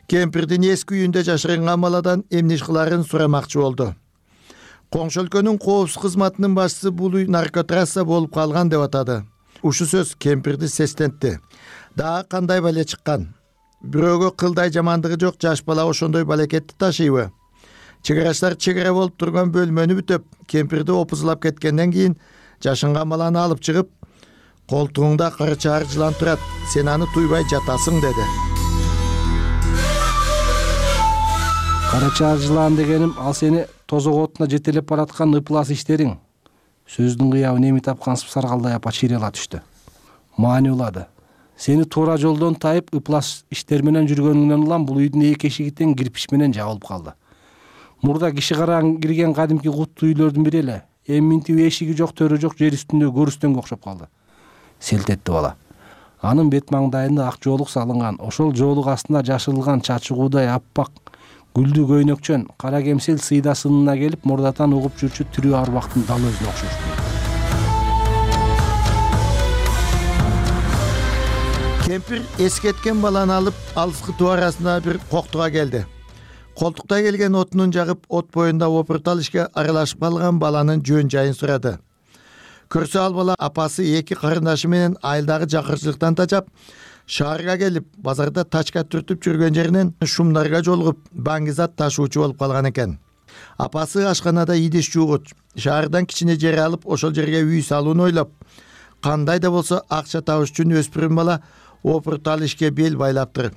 Кемпирдин эски үйүндө жашырган баладан эмне иш кыларын сурамакчы болду. Коңшу өлкөнүн коопсуз кызматынын башчысы бул үй наркотрасса болуп калган деп атады. Ушу сөз кемпирди сестентти. Дагы кандай бале чыккан? Бирөөгө кылдай жамандыгы жок жаш бала ошондой балекетти ташыйбы? Чек арачылар чек ара болуп турган бөлмөнү бүтөп, кемпирди опузулап кеткенден кийин жашынган баланы алып чыгып, колтугуңда кара чаар жылан турат, сен аны туйбай жатасың деди. Кара чаар жылан дегеним ал сени тозок отуна жетелеп бараткан ыплас иштериң. Сөздүн кыябын эми тапкансып Саргалдай апа чийрела түштү. Маани улады. Сени туура жолдон тайып ыплас иштер менен жүргөнүңдөн улам бул үйдүн эки эшиги тең кирпич менен жабылып калды. Мурда киши караң кирген кадимки куттуу үйлөрдүн бири эле. эми минтип эшиги жок, төрө жок жер үстүндө көрүстөнгө окшоп калды. Селт этти бала. Анын бет маңдайында ак жоолук салынган, ошол жоолук астында жашырылган чачыгуудай аппак гүлдүү көйнөкчөн кара кемсел сыйда сынына келип мурдатан угуп жүрчү тирүү арбактын дал өзүнө окшошту. Кемпир эскеткен баланы алып алыскы туу арасында бир коктуга келди. Колтукта келген отунун жагып, от боюнда опуртал ишке аралашып калган баланын жөн жайын сурады. Көрсө ал бала апасы эки карындашы менен айылдагы жакырчылыктан тачап, шаарга келип, базарда тачка түртүп жүргөн жеринен шумдарга жолугуп, баңгизат ташуучу болуп калган экен. Апасы ашканада идиш жуугуч, шаардан кичине жер алып, ошол жерге үй салууну ойлоп, кандай да болсо акча табыш үчүн өспүрүм бала опуртал ишке бел байлаптыр.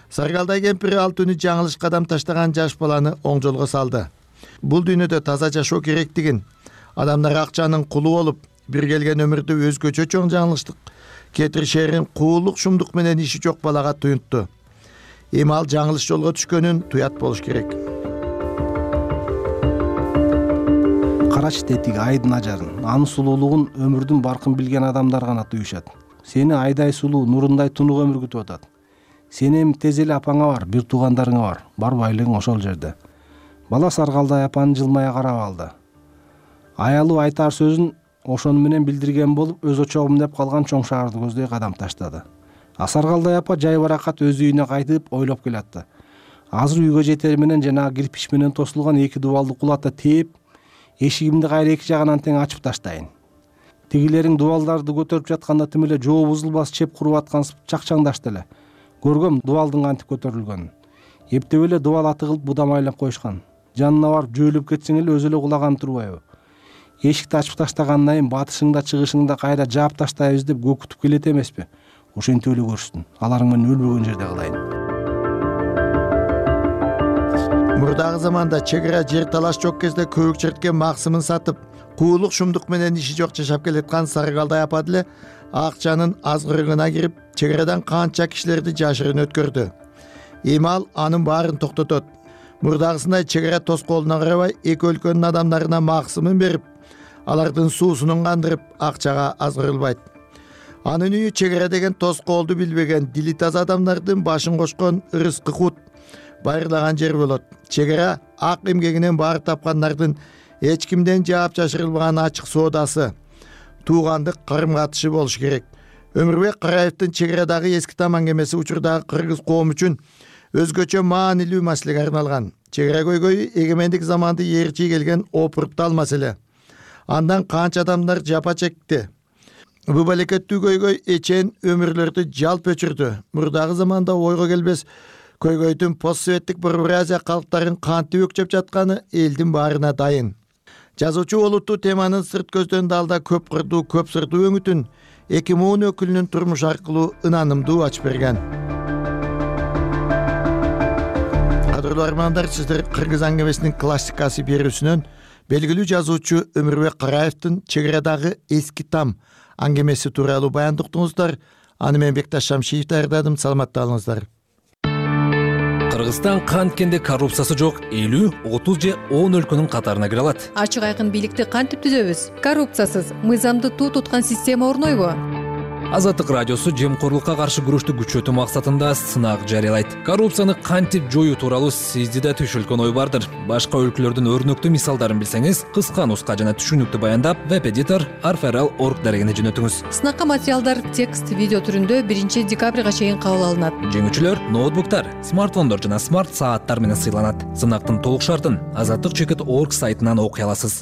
Саргалдай кемпир ал түнү жаңылыш кадам таштаган жаш баланы оң жолго салды. Бул дүйнөдө таза жашоо керектигин, адамдар акчанын кулу болуп, бир келген өмүрдө өзгөчө чоң жаңылыштык кетиришерин куулук шумдук менен иши жок балага туюнтту. Эми ал жаңылыш жолго түшкөнүн туят болуш керек. Карачы тетиги айдын ажарын, анын сулуулугун өмүрдүн баркын билген адамдар гана туюшат. Сени айдай сулуу, нурундай тунук өмүр күтүп атат. Сени эми тез эле апаңа бар, бир туугандарыңа бар. Бар байлыгың ошол жерде. Бала Саргалдай апаны жылмая карап алды. Аялуу айтар сөзүн ошону менен билдирген болуп, өз очогум деп калган чоң шаарды көздөй кадам таштады. А Саргалдай апа жай баракат өз үйүнө кайтып ойлоп келатты. Азыр үйгө жетери менен жанагы кирпич менен тосулган эки дубалды кулата тээп, эшигимди кайра эки жагынан тең ачып таштайын. Тигилериң дубалдарды көтөрүп жатканда тим эле жоо бузулбас чеп куруп аткансып чакчаңдашты эле. Көргөм дубалдын кантип көтөрүлгөнүн. Эптеп эле дубал атыгылып будамайлап коюшкан. Жанына барып жөөлөп кетсең эле өзү эле кулаган турбайбы? Эшикти ачып таштагандан кийин батышыңда чыгышыңда кайра жаап таштайбыз деп көкүтүп келет эмеспи? Ошентип эле көрсүн. Аларың менен өлбөгөн жерде кылайын. Мурдагы заманда чегара жер талаш жок кезде көбүк черткен максымын сатып, куулук шумдук менен иши жок жашап келаткан Саргалдай апа деле акчанын азгырыгына кирип, чегарадан канча кишилерди жашырын өткөрдү. Эми ал анын баарын токтотот. Мурдагысындай чегара тоскоолуна карабай, эки өлкөнүн адамдарына максымын берип, алардын суусунун кандырып, акчага азгырылбайт. Анын үйү чегара деген тоскоолду билбеген, дили таза адамдардын башын кошкон ырыскы кут байырлаган жер болот. Чегара ак эмгегинен баар тапкандардын эч кимден жаап жашырылбаган ачык соодасы, туугандык карым-катышы болуш керек. Өмүрбек Караевдин чегарадагы эски там аңгемеси учурдагы кыргыз коому үчүн өзгөчө маанилүү маселеге арналган. Чегара көйгөйү эгемендик заманды ээрчи келген опуртал маселе. Андан канча адамдар жапа чекти. Бул балекеттүү көйгөй эчен өмүрлөрдү жалп өчүрдү. Мурдагы заманда ойго келбес көйгөйдүн постсоветтик Бурбуразия калктарын кантип өкчөп жатканы элдин баарына дайын. Жазуучу олуттуу теманын сырт көздөн далда көп кырдуу, көп сырдуу өңүтүн эки муун өкүлүнүн турмуш аркылуу ынанымдуу ачып берген. Кадырлуу армандар, сиздер кыргыз аңгемесинин классикасы берүүсүнөн белгилүү жазуучу Өмүрбек Караевдин чегарадагы эски там аңгемеси тууралуу баяндык уктуңуздар. Аны мен Бекташ Шамшиев даярдадым. Саламатта болуңуздар. Кыргызстан канткенде коррупциясы жок элүү, отуз же он өлкөнүн катарына кире алат. Ачык айкын бийликти кантип түзөбүз? Коррупциясыз, мыйзамды туу туткан система орнойбу? Азаттык радиосу жемкорлукка каршы күрөштү күчөтүү максатында сынак жарыялайт. Коррупцияны кантип жоюу тууралуу сизди да түшүлгөн ой бардыр. Башка өлкөлөрдүн өрнөктүү мисалдарын билсеңиз, кыска нуска жана түшүнүктүү баяндап, веб-эдитор арферал точка орг дарегине жөнөтүңүз. Сынакка материалдар текст, видео түрүндө биринчи декабрга чейин кабыл алынат. Жеңүүчүлөр ноутбуктар, смартфондор жана смарт сааттар менен сыйланат. Сынактын толук шартын азаттык чекит точка орг сайтынан окуй аласыз.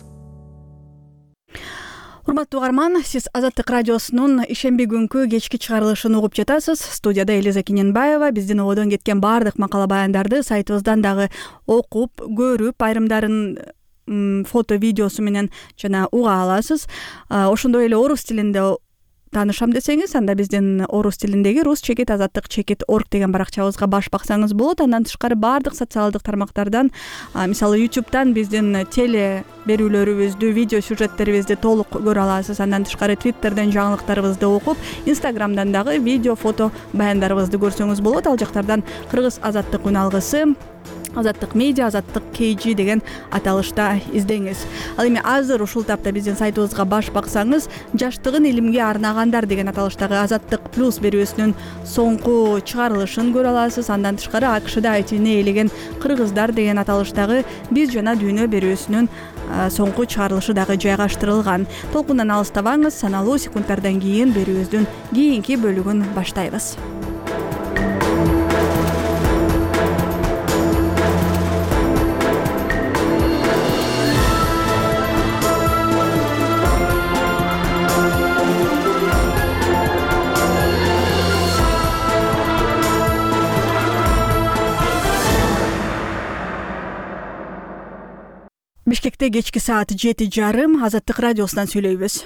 Урматтуу угарман, сиз Азаттык радиосунун ишемби күнкү кечки чыгарылышын угуп жатасыз. Студияда Элиза Киненбаева. Биздин ободон кеткен баардык макала баяндарды сайтыбыздан дагы окуп, көрүп, айрымдарын фото, видеосу менен жана уга аласыз. Ошондой эле орус тилинде таанышам десеңиз, анда биздин орус тилиндеги рус чекит азаттык чекит точка орг деген баракчабызга баш баксаңыз болот. Андан тышкары баардык социалдык тармактардан, мисалы ютубтан биздин теле берүүлөрүбүздү, видео сюжеттерибизди толук көрө аласыз. Андан тышкары твиттерден жаңылыктарыбызды окуп, инстаграмдан дагы видео, фото баяндарыбызды көрсөңүз болот. Ал жактардан кыргыз азаттык үн алгысы, Азаттык медиа, Азаттык kg деген аталышта издеңиз. Ал эми азыр ушул тапта биздин сайтыбызга баш баксаңыз, жаштыгын илимге арнагандар деген аталыштагы Азаттык плюс берүүсүнүн соңку чыгарылышын көрө аласыз. Андан тышкары АКШда айтыны ээлеген кыргыздар деген аталыштагы Биз жана дүйнө берүүсүнүн соңку чыгарылышы дагы жайгаштырылган. Толкундан алыстабаңыз, саналуу секундтардан кийин берүүбүздүн кийинки бөлүгүн баштайбыз. Бишкекте кечки саат жети жарым Азаттык радиосунан сүйлөйбүз.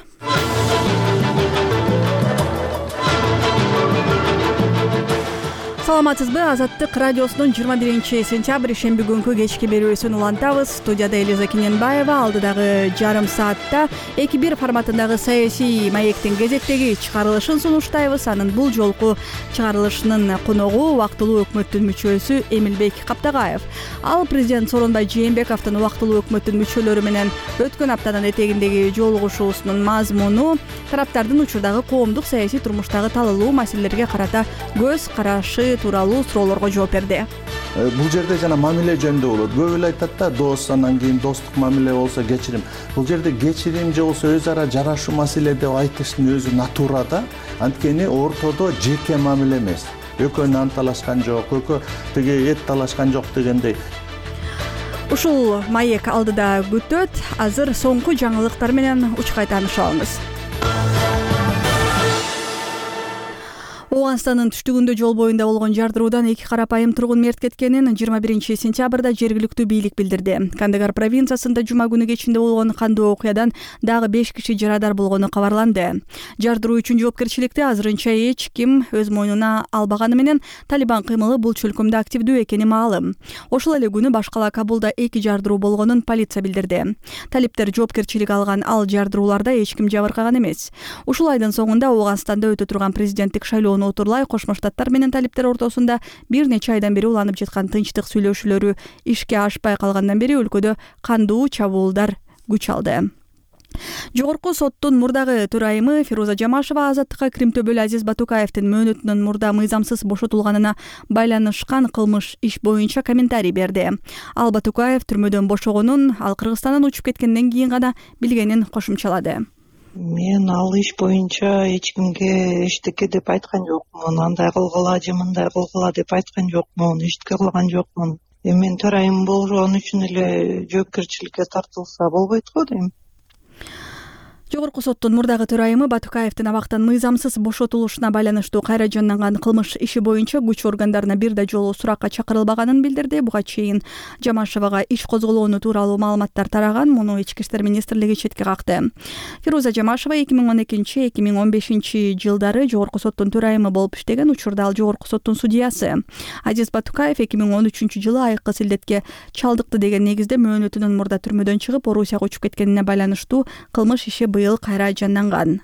Саламатсызбы? Азаттык радиосунун жыйырма биринчи сентябрь шемби күнкү кечки берүүсүн улантабыз. Студияда Элиза Кененбаева. Алдыдагы жарым саатта эки бир форматындагы саясий маектин кезектеги чыгарылышын сунуштайбыз. Анын бул жолку чыгарылышынын коногу убактылуу өкмөттүн мүчөсү Эмилбек Каптагаев. Ал президент Сооронбай Жээнбековдун убактылуу өкмөттүн мүчөлөрү менен өткөн аптанын этегиндеги жолугушуусунун мазмуну, тараптардын учурдагы коомдук саясий турмуштагы талаалуу маселелерге карата көз карашы тууралуу суроолорго жооп берди. Бул жерде жана мамиле жөнүндө болот. Көп эле айтат да, дос, андан кийин достук мамиле болсо кечирим. Бул жерде кечирим же болсо өз ара жарашуу маселе деп айтыштын өзү натура да. Анткени ортодо жеке мамиле эмес. Экөө нан талашкан жок, экөө тиги эт талашкан жок дегендей. Ушул маек алдыда күтөт. Азыр соңку жаңылыктар менен учкай таанышып алыңыз. Ооганстандын түштүгүндө жол боюнда болгон жардыруудан эки карапайым тургун мерт кеткенин жыйырма биринчи сентябрда жергиликтүү бийлик билдирди. Кандагар провинциясында жума күнү кечинде болгон кандуу окуядан дагы беш киши жарадар болгону кабарланды. Жардыруу үчүн жоопкерчиликти азырынча эч ким өз мойнуна албаганы менен Талибан кыймылы бул чөлкөмдө активдүү экени маалым. Ошол эле күнү башкала Кабулда эки жардыруу болгонун полиция билдирди. Талиптер жоопкерчилик алган ал жардырууларда эч ким жабыркаган эмес. Ушул айдын соңунда Ооганстанда өтө турган президенттик шайлоону отурлай Кошмо Штаттар менен талиптер ортосунда бир нече айдан бери уланып жаткан тынчтык сүйлөшүүлөрү ишке ашпай калгандан бери өлкөдө кандуу чабуулдар күч алды. Жогорку соттун мурдагы төрайымы Фируза Жамашева Азаттыкка Крим төбөлү Азиз Батукаевдин мөөнөтүнүн мурда мыйзамсыз бошотулганына байланышкан кылмыш иш боюнча комментарий берди. Ал Батукаев түрмөдөн бошогонун, ал Кыргызстандан учуп кеткенден кийин гана билгенин кошумчалады. Мен ал иш боюнча эч кимге эчтеке деп айткан жокмун, андай кылгыла же мындай кылгыла деп айткан жокмун, эчтеке кылган жокмун. Эми мен төрайым болгон үчүн эле жоопкерчиликке тартылса болбойт го дейм. Жогорку соттун мурдагы төрайымы Батукаевдин абактан мыйзамсыз бошотулушуна байланыштуу кайра жанданган кылмыш иши боюнча күч органдарына бир да жолу суракка чакырылбаганын билдирди. Буга чейин Жамашевага иш козголоону тууралуу маалыматтар тараган, муну Ички иштер министрлиги четке какты. Фируза Жамашева эки миң он экинчи — эки миң он бешинчи жылдары жогорку соттун төрайымы болуп иштеген, учурда ал жогорку соттун судьясы. Азиз Батукаев эки миң он үчүнчү жылы айыккы силдетке чалдыкты деген негизде мөөнөтүнүн мурда түрмөдөн чыгып Орусияга учуп кеткенине байланыштуу кылмыш иши быйыл кайра жанданган.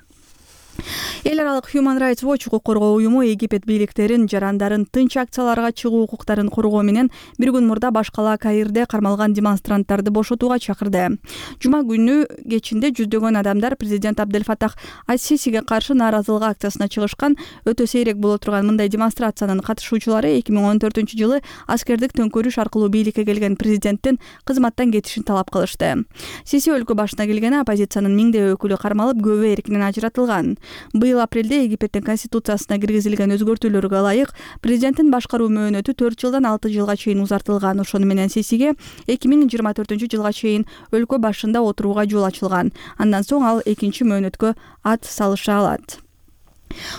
Эл аралык Human Rights Watch укук коргоо уюму Египет бийликтерин жарандарын тынч акцияларга чыгуу укуктарын коргоо менен бир күн мурда башкала Каирде кармалган демонстранттарды бошотууга чакырды. Жума күнү кечинде жүздөгөн адамдар президент Абдель Фатах ас-Сисиге каршы нааразылык акциясына чыгышкан. Өтө сейрек боло турган мындай демонстрациянын катышуучулары эки миң он төртүнчү жылы аскердик төңкөрүш аркылуу бийликке келген президенттин кызматтан кетишин талап кылышты. Сиси өлкө башына келгени оппозициянын миңдей өкүлү кармалып, көбү эркинен ажыратылган. Быйыл апрелде Египеттин конституциясына киргизилген өзгөртүүлөргө ылайык президенттин башкаруу мөөнөтү төрт жылдан алты жылга чейин узартылган. Ошону менен Сисиге эки миң жыйырма төртүнчү жылга чейин өлкө башында отурууга жол ачылган. Андан соң ал экинчи мөөнөткө ат салыша алат.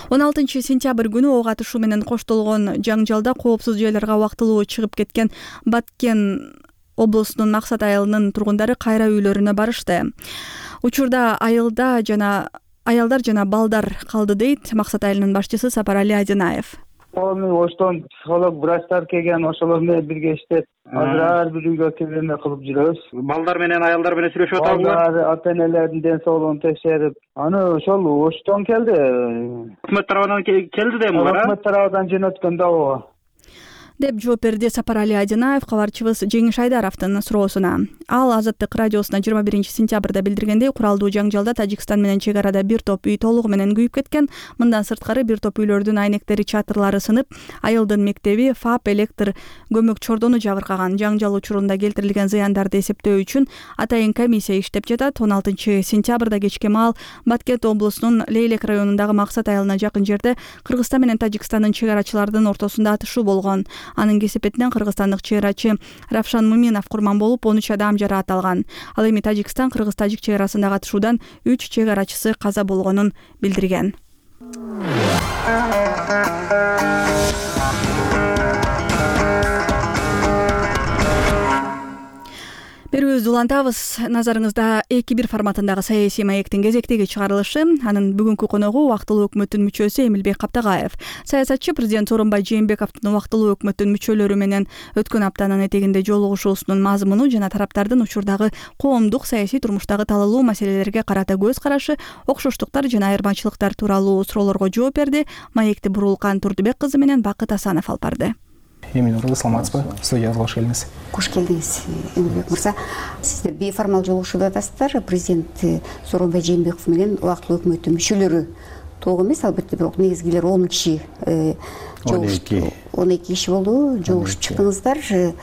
он алтынчы сентябрь күнү ок атышуу менен коштолгон жаңжалда коопсуз жайларга убактылуу чыгып кеткен Баткен облусунун Максат айылынын тургундары кайра үйлөрүнө барышты. Учурда айылда жана аялдар жана балдар калды дейт Максат айылынын башчысы Сапарали Адинаев. Оштон психолог, врачтар келген, ошолор менен бирге иштеп, азыр ар бир үйгө киргенде кылып жүрөбүз. Балдар менен аялдар менен сүйлөшүп атабызбы? Ата-энелердин ден соолугун текшерип, аны ошол Оштон келди. Өкмөт тарабынан келди да эми булар? Өкмөт тарабынан жөнөткөн да ооба. деп жооп берди Сапарали Адинаев кабарчыбыз Жеңиш Айдаровдун суроосуна. Ал Азаттык радиосуна жыйырма биринчи сентябрда билдиргендей, куралдуу жаңжалда Тажикстан менен чек арада бир топ үй толугу менен күйүп кеткен. Мындан сырткары бир топ үйлөрдүн айнектери, чатырлары сынып, айылдын мектеби, ФАП, электр көмөк чордону жабыркаган. Жаңжал учурунда келтирилген зыяндарды эсептөө үчүн атайын комиссия иштеп жатат. он алтынчы сентябрда кечке маал Баткент облусунун Лейлек районундагы Максат айылына жакын жерде Кыргызстан менен Тажикстандын чек арачылардын ортосунда атышуу болгон. Анын кесепетинен кыргызстандык чек арачы Равшан Муминов курман болуп, он үч адам жараат алган. Ал эми Тажикстан Кыргыз-Тажик чек арасындагы атышуудан үч чек арачысы каза болгонун билдирген. Берүүбүздү улантабыз. Назарыңызда эки бир форматындагы саясий маектин кезектеги чыгарылышы. Анын бүгүнкү коногу убактылуу өкмөттүн мүчөсү Эмилбек Каптагаев. Саясатчы президент Сооронбай Жээнбековдун убактылуу өкмөттүн мүчөлөрү менен өткөн аптанын этегинде жолугушуусунун мазмуну жана тараптардын учурдагы коомдук саясий турмуштагы талалуу маселелерге карата көз карашы, окшоштуктар жана айырмачылыктар тууралуу суроолорго жооп берди. Маекти Бурулкан Турдубек кызы менен Бакыт Асанов алып барды. Эмин Нуралы, саламатсызбы? Студияга кош келиңиз. Кош келдиңиз, Эмилбек мырза. Сиздер бейформал жолугушууда атасыздар. Президент Сооронбай Жээнбеков менен убактылуу өкмөттүн мүчөлөрү толук эмес, албетте, бирок негизгилер он киши жолугушуп, он эки киши болду, жолугушуп чыктыңыздар.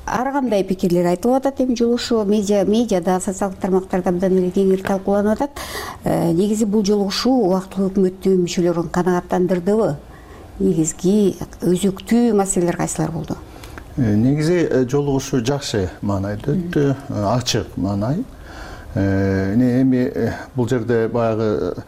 Ар кандай пикирлер айтылып атат эми жолугушуу, медиа, медиада, социалдык тармактарда абдан эле кеңири талкууланып атат. Негизи бул жолугушуу убактылуу өкмөттүн мүчөлөрүн канааттандырдыбы? Негизги өзөктүү маселелер кайсылар болду? Негизи жолугушуу жакшы маанайда өттү, ачык маанай. Эми бул жерде баягы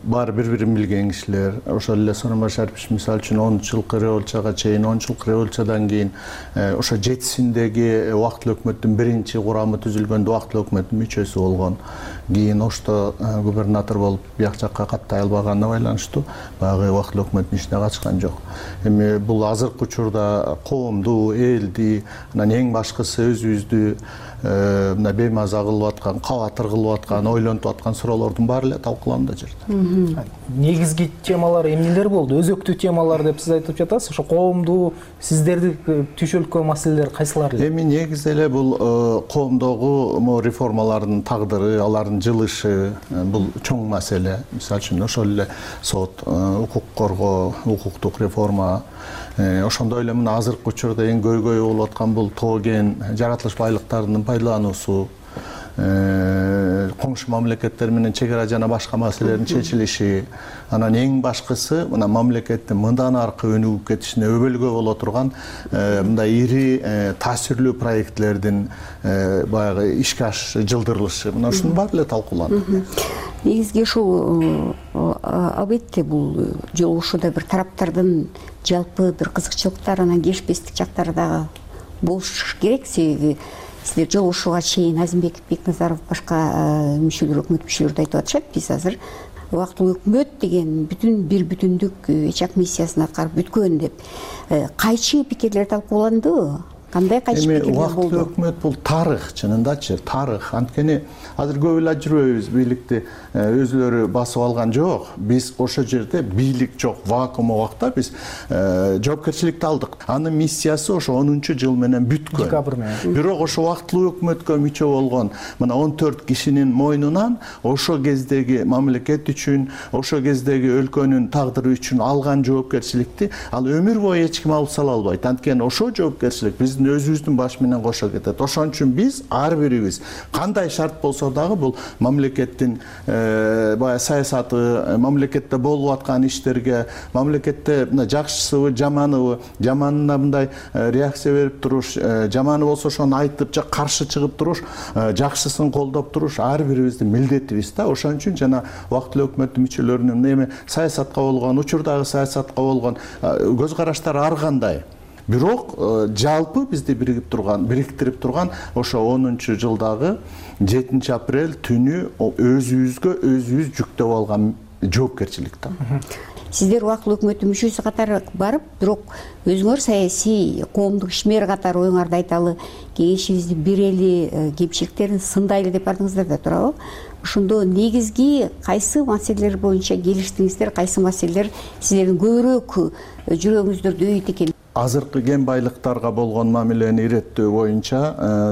баары бири-бирин билген кишилер, ошол эле Сооронбай Шарипович мисалы үчүн он жылкы революцияга чейин, он жылкы революциядан кийин ошо жетисиндеги убактылуу өкмөттүн биринчи курамы түзүлгөндө убактылуу өкмөттүн мүчөсү болгон. Кийин Ошто губернатор болуп бияк жакка каттай албаганына байланыштуу баягы убактылуу өкмөттүн ишине катышкан жок. Эми бул азыркы учурда коомду, элди, анан эң башкысы өзүбүздү мына беймаза кылып аткан, кабатыр кылып аткан, ойлонтуп аткан суроолордун баары эле талкууланды жерде. Негизги темалар эмнелер болду? Өзөктүү темалар деп сиз айтып жатасыз. Ошо коомду, сиздерди түшөлкөн маселелер кайсылар эле? Эми негизи эле бул коомдогу реформалардын тагдыры, алардын жылышы, бул чоң маселе. Мисалы үчүн ошол эле сот, укук коргоо, укуктук реформа. Ошондой эле мына азыркы учурда эң көйгөй болуп аткан бул тоо кен жаратылыш байлыктарынын пайдалануусу, коңшу мамлекеттер менен чек ара жана башка маселелердин чечилиши, анан эң башкысы мына мамлекеттин мындан аркы өнүгүп кетишине өбөлгө боло турган мындай ири таасирлүү проектлердин баягы ишке жылдырылышы, мына ушунун баары эле талкууланды. Негизги ушул албетте бул жолугушууда бир тараптардын жалпы бир кызыкчылыктар, анан келишпестик жактары дагы болуш керек. Себеби сиздер жолугушууга чейин Азимбек Бекназаров башка мүчөлөр, өкмөт мүчөлөрү да айтып атышат, биз азыр убактылуу өкмөт деген бүтүн бир бүтүндүк эч ак миссиясын аткарып бүткөн деп. Кайчы пикирлер талкууландыбы? Кандай кайчы пикирлер болду? Убактылуу өкмөт бул тарых, чынындачы тарых. Анткени азыр көп эле жүрөбүз, бийликти өзүлөрү басып алган жок. Биз ошол жерде бийлик жок, вакуум убакта биз жоопкерчиликти алдык. Анын миссиясы ошо онунчу жыл менен бүткөн. Декабрь менен. Бирок ошо убактылуу өкмөткө мүчө болгон мына он төрт кишинин мойнунан ошо кездеги мамлекет үчүн, ошо кездеги өлкөнүн тагдыры үчүн алган жоопкерчиликти ал өмүр бою эч ким алып сала албайт. Анткени ошо жоопкерчилик биздин өзүбүздүн баш менен кошо кетет. Ошон үчүн биз ар бирибиз кандай шарт болсо дагы бул мамлекеттин баягы саясаты, мамлекетте болуп аткан иштерге, мамлекетте мына жакшысыбы, жаманыбы, жаманына мындай реакция берип туруш, жаманы болсо ошону айтып же каршы чыгып туруш, жакшысын колдоп туруш ар бирибиздин милдетибиз да. Ошон үчүн жана убактылуу өкмөттүн мүчөлөрүнүн эми саясатка болгон, учурдагы саясатка болгон көз караштары ар кандай. Бирок жалпы бизди биригип турган, бириктирип турган ошо онунчу жылдагы жетинчи апрель түнү өзүбүзгө өзүбүз жүктөп алган жоопкерчилик да. Сиздер убактылуу өкмөттүн мүчөсү катары барып, бирок өзүңөр саясий коомдук ишмер катары оюңарды айталы, кеңешибизди берели, кемчиликтерин сындайлы деп бардыңыздар да, туурабы? Ошондо негизги кайсы маселелер боюнча келиштиңиздер, кайсы маселелер сиздердин көбүрөөк жүрөгүңүздөрдү өйт экен? азыркы кен байлыктарга болгон мамилени иреттөө боюнча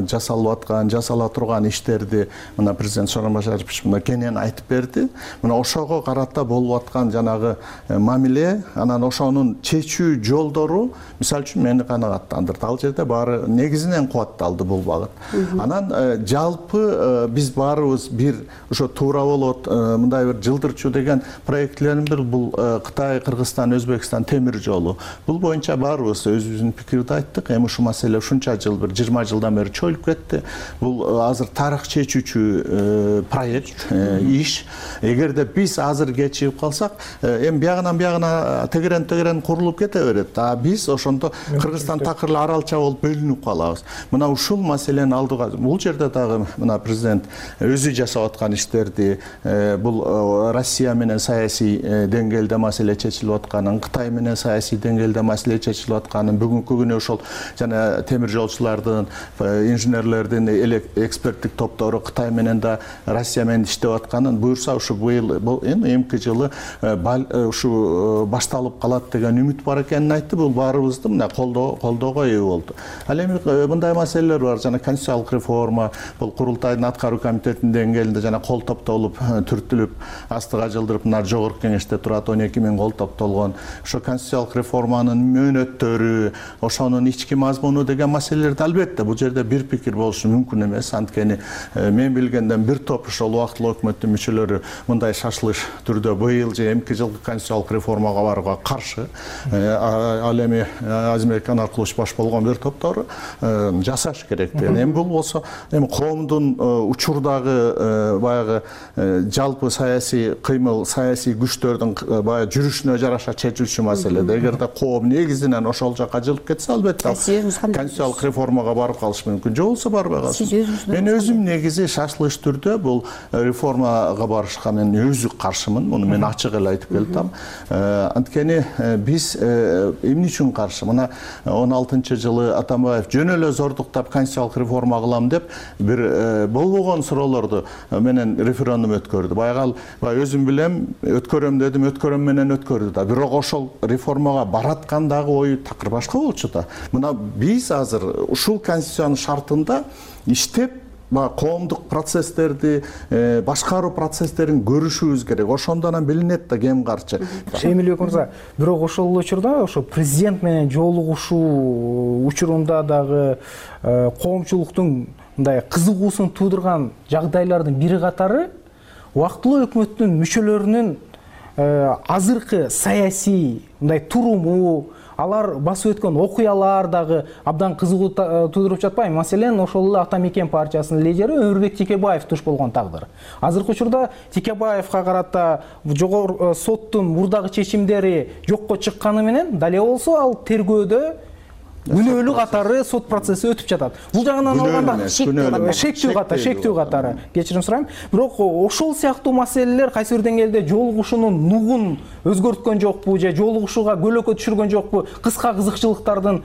жасалып аткан, жасала турган иштерди мына президент Сооронбай Башарович мына кенен айтып берди. Мына ошого карата болуп аткан жанагы мамиле, анан ошонун чечүү жолдору мисалы үчүн мени канагаттандырды. Ал жерде баары негизинен кубатталды бул багыт. Анан жалпы биз баарыбыз бир ошо туура болот, мындай бир жылдырчу деген проектлердин бир бул Кытай, Кыргызстан, Өзбекстан темир жолу. Бул боюнча баарыбыз өзүбүздүн пикирди айттык. Эми ушул маселе ушунча жыл, бир жыйырма жылдан бери чоюлуп кетти. Бул азыр тарых чечүүчү проект, иш. Эгерде биз азыр кечигип калсак, эми биягынан биягына тегерен тегерен курулуп кете берет. А биз ошондо Кыргызстан такыр эле аралча болуп бөлүнүп калабыз. Мына ушул маселени алдыга, бул жерде дагы мына президент өзү жасап аткан иштерди, бул Россия менен саясий деңгээлде маселе чечилип атканын, Кытай менен саясий деңгээлде маселе чечилип атканын, бүгүнкү күнү ошол жана темир жолчулардын, инженерлердин эксперттик топтору Кытай менен да Россия менен иштеп атканын, буюрса ушу быйыл бул эмки жылы ушу башталып калат деген үмүт бар экенин айтты. Бул баарыбызды мына колдоо колдоого ээ болду. Ал эми мындай маселелер бар, жана конституциялык реформа, бул курултайдын аткаруу комитетинин деңгээлинде жана кол топтолуп түртүлүп астыга жылдырып мына жогорку кеңеште турат, он эки миң кол топтолгон. Ошо конституциялык реформанын мөөнөттөрү, ошонун ички мазмуну деген маселелерди албетте бул жерде бир пикир болушу мүмкүн эмес. Анткени мен билгенден бир топ ошол убактылуу өкмөттүн мүчөлөрү мындай шашылыш түрдө быйыл же эмки жылкы конституциялык реформага барууга каршы. Ал эми Азимбек Анаркулович баш болгон бир топтору жасаш керек деген. Эми бул болсо эми коомдун учурдагы баягы жалпы саясий кыймыл, саясий күчтөрдүн баягы жүрүшүнө жараша чечилчү маселе. Эгерде коом негизинен ошол жака жылып кетсе, албетте конституциялык реформага барып калыш мүмкүн. Же болбосо барбай калсын. Мен өзүм негизи шашылыш түрдө бул реформага барышка мен өзү каршымын. Муну мен ачык эле айтып келдим. Анткени биз эмне үчүн каршы? Мына он алтынчы жылы Атамбаев жөн эле зордуктап конституциялык реформа кылам деп бир болбогон суроолорду менен референдум өткөрдү. Баягы ал өзүм билем, өткөрөм дедим, өткөрөм менен өткөрдү да. Бирок ошол реформага бараткандагы ою такыр башка болчу да. Мына биз азыр ушул конституциянын шартында иштеп коомдук процесстерди, башкаруу процесстерин көрүшүбүз керек. Ошондон билинет да кем каршы. Эмилбек мырза, бирок ошол учурда ошо президент менен жолугушуу учурунда дагы коомчулуктун мындай кызыгуусун туудурган жагдайлардын бири катары убактылуу өкмөттүн мүчөлөрүнүн азыркы саясий мындай туруму, алар басып өткөн окуялар дагы абдан кызыгуу туудуруп жатпайбы? Маселен, ошол эле Ата Мекен партиясынын лидери Өмүрбек Текебаев туш болгон тагдыр. Азыркы учурда Текебаевка карата жогорку соттун мурдагы чечимдери жокко чыкканы менен дале болсо ал тергөөдө күнөөлүү катары сот процесси өтүп жатат. Бул жагынан алганда шектүү катары, шектүү катары. Кечирим сурайм. Бирок ошол сыяктуу маселелер кайсы бир деңгээлде жолугушуунун нугун өзгөрткөн жокпу же жолугушууга көлөкө түшүргөн жокпу? Кыска кызыкчылыктардын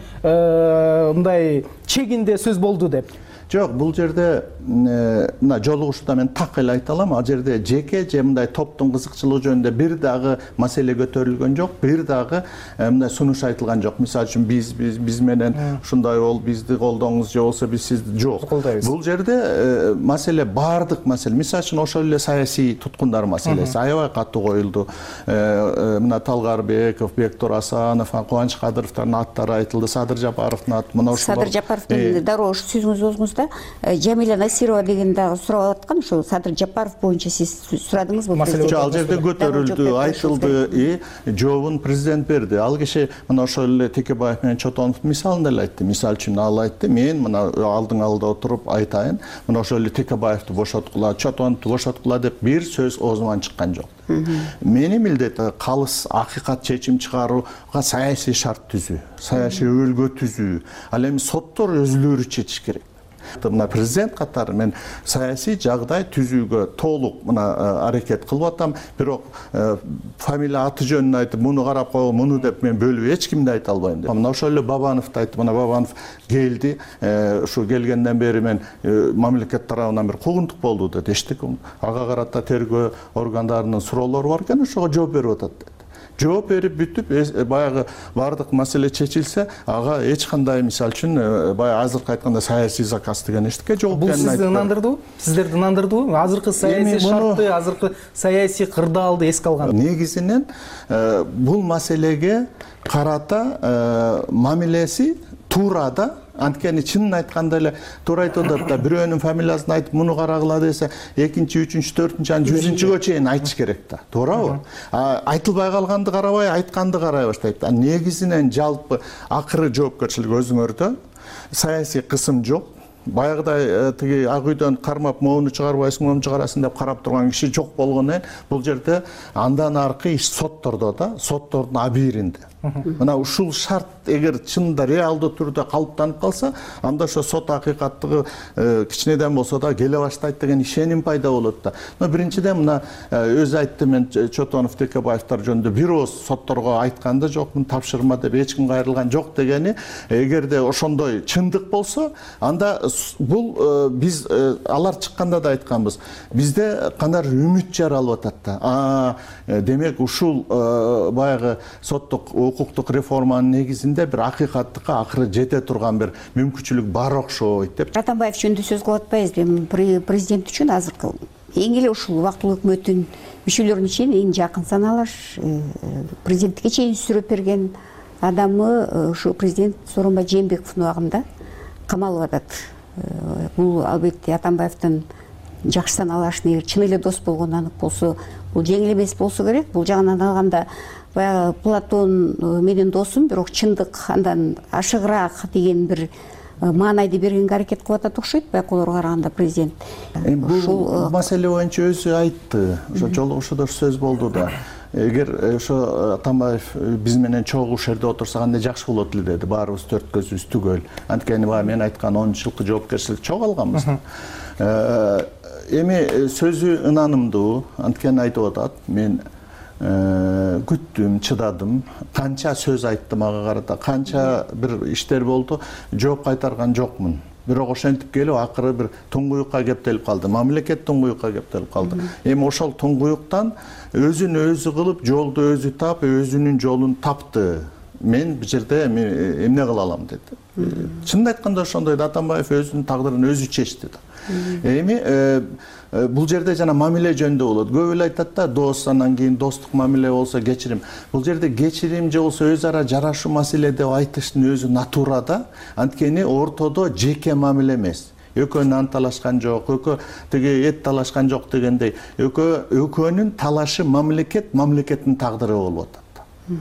мындай чегинде сөз болду деп. Жок, бул жерде мына жолугушууда мен так эле айта алам. Ал жерде жеке же мындай топтун кызыкчылыгы жөнүндө бир дагы маселе көтөрүлгөн жок, бир дагы мындай сунуш айтылган жок. Мисалы үчүн биз биз менен ушундай бол, бизди колдоңуз же болсо биз сизди жок. Бул жерде маселе бардык маселе. Мисалы үчүн ошол эле саясий туткундар маселеси аябай катуу коюлду. Мына Талгарбеков, Бектур Асанов, Кубаныч Кадыровдун аттары айтылды, Садыр Жапаровдун аты. Мына ошол Садыр Жапаровдун дароо ушу сөзүңүздү өзүңүз Жамиля Насирова деген дагы сурап аткан, ошо Садыр Жапаров боюнча сиз сурадыңызбы? Ал жерде көтөрүлдү, айтылды, и жообун президент берди. Ал киши мына ошол эле Текебаев менен Чотоновдун мисалын деле айтты. Мисалы үчүн ал айтты, мен мына алдың алда отуруп айтайын, мына ошол эле Текебаевди бошоткула, Чотоновду бошоткула деп бир сөз оозуман чыккан жок. Менин милдетим калыс акыйкат чечим чыгарууга саясий шарт түзүү, саясий өлгө түзүү. Ал эми соттор өзүлөрү чечиш керек. Мына президент катары мен саясий жагдай түзүүгө толук мына аракет кылып атам. Бирок фамилия аты жөнүн айтып, муну карап кой, муну деп мен бөлүп эч кимди айта албайм деп. Мына ошол эле Бабановду айтты. Мына Бабанов келди. Ушу келгенден бери мен мамлекет тарабынан бир куугунтук болду деп эчтик. Ага карата тергөө органдарынын суроолору бар экен, ошого жооп берип атат. жооп берип бүтүп баягы баардык маселе чечилсе ага эч кандай мисалы үчүн баягы азыркы айтканда саясий заказ деген эчтеке жок бул сизди ынандырдыбы сиздерди ынандырдыбы азыркы саясий шартты азыркы саясий кырдаалды эске алганда негизинен бул маселеге карата мамилеси туура да. Анткени чынын айтканда эле туура айтып атат да, бирөөнүн фамилиясын айтып муну карагыла десе, экинчи, үчүнчү, төртүнчү, анан жүзүнчүгө чейин айтыш керек да. Туурабы? Айтылбай калганды карабай, айтканды карай баштайт. Негизинен жалпы акыры жоопкерчилик өзүңөрдө. Саясий кысым жок. Баягыдай тиги ак үйдөн кармап моуну чыгарбайсың, моуну чыгарасың деп карап турган киши жок болгондон бул жерде андан аркы иш соттордо да, соттордун абийиринде. Мына ушул шарт эгер чынында реалдуу түрдө калыптанып калса, анда ошо сот акыйкаттыгы кичинеден болсо да келе баштайт деген ишеним пайда болот да. Но биринчиден мына өзү айтты, мен Чотонов, Текебаевдер жөнүндө бир ооз сотторго айткан да жокмун, тапшырма деп эч ким кайрылган жок дегени, эгерде ошондой чындык болсо, анда бул биз алар чыкканда да айтканбыз. Бизде кандай үмүт жаралып атат да. А демек ушул баягы соттук укуктук реформанын негизинде бир акыйкаттыкка акыры жете турган бир мүмкүнчүлүк бар окшойт деп. Атамбаев жөнүндө сөз кылып атпайбызбы? Президент үчүн азыркы эң эле ушул убактылуу өкмөттүн мүчөлөрүнө чейин эң жакын саналар, президенттикке чейин сүрөп берген адамы ушу президент Сооронбай Жээнбековдун убагында камалып атат. Бул албетте Атамбаевдин жакшы саналашын, эгер чын эле дос болгону анык болсо, бул жеңил эмес болсо керек. Бул жагынан алганда баягы Платон менин досум, бирок чындык андан ашыгыраак деген бир маанайды бергенге аракет кылып атат окшойт, байкоолорго караганда президент. Бул маселе боюнча өзү айтты. Ошо жолугушууда сөз болду да. Эгер ошо Атамбаев биз менен чогуу жерде отурса кандай жакшы болот эле деди. Баарыбыз төрт көзүбүз түгөл. Анткени баягы мен айткан он жылкы жоопкерчилик чогуу алганбыз. Эми сөзү ынанымдуу, анткени айтып атат. Мен күттүм, чыдадым, канча сөз айтты мага карата, канча бир иштер болду, жооп кайтарган жокмун. Бирок ошентип келип акыры бир туңгуюкка кептелип калды. Мамлекет туңгуюкка кептелип калды. Эми ошол туңгуюктан өзүн өзү кылып, жолду өзү тап, өзүнүн жолун тапты. Мен бул жерде эмне кыла алам деди. Чынын айтканда ошондой да, Атамбаев өзүнүн тагдырын өзү чечти да. Эми бул жерде жана мамиле жөнүндө болот. Көп эле айтат да, дос, анан кийин достук мамиле болсо кечирим. Бул жерде кечирим же болсо өз ара жарашуу маселе деп айтыштын өзү натура да. Анткени ортодо жеке мамиле эмес. Экөө нан талашкан жок, экөө тиги эт талашкан жок дегендей. Экөө экөөнүн талашы мамлекет, мамлекеттин тагдыры болуп атат.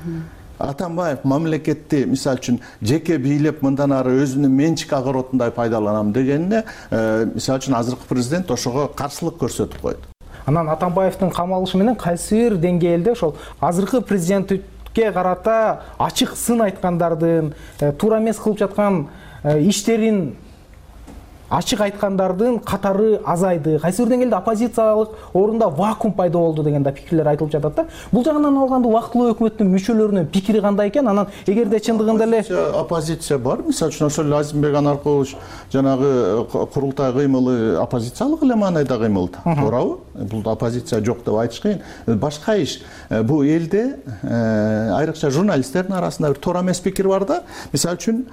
Атамбаев мамлекетти мисалы үчүн жеке бийлеп мындан ары өзүнүн менчик огородундай пайдаланам дегенине, мисалы үчүн азыркы президент ошого каршылык көрсөтүп койду. Анан Атамбаевдин камалышы менен кайсы бир деңгээлде ошол азыркы президентке карата ачык сын айткандардын, туура эмес кылып жаткан иштерин ачык айткандардын катары азайды. Кайсы бир деңгээлде оппозициялык орунда вакуум пайда болду деген да пикирлер айтылып жатат да. Бул жагынан алганда убактылуу өкмөттүн мүчөлөрүнүн пикири кандай экен? Анан эгерде чындыгында эле оппозиция бар, мисалы үчүн ошол Азимбек Анаркулович жанагы курултай кыймылы оппозициялык эле маанайда кыймыл да. Туурабы? Бул оппозиция жок деп айтыш кыйын. Башка иш, бул элде айрыкча журналисттердин арасында бир туура эмес пикир бар да. Мисалы үчүн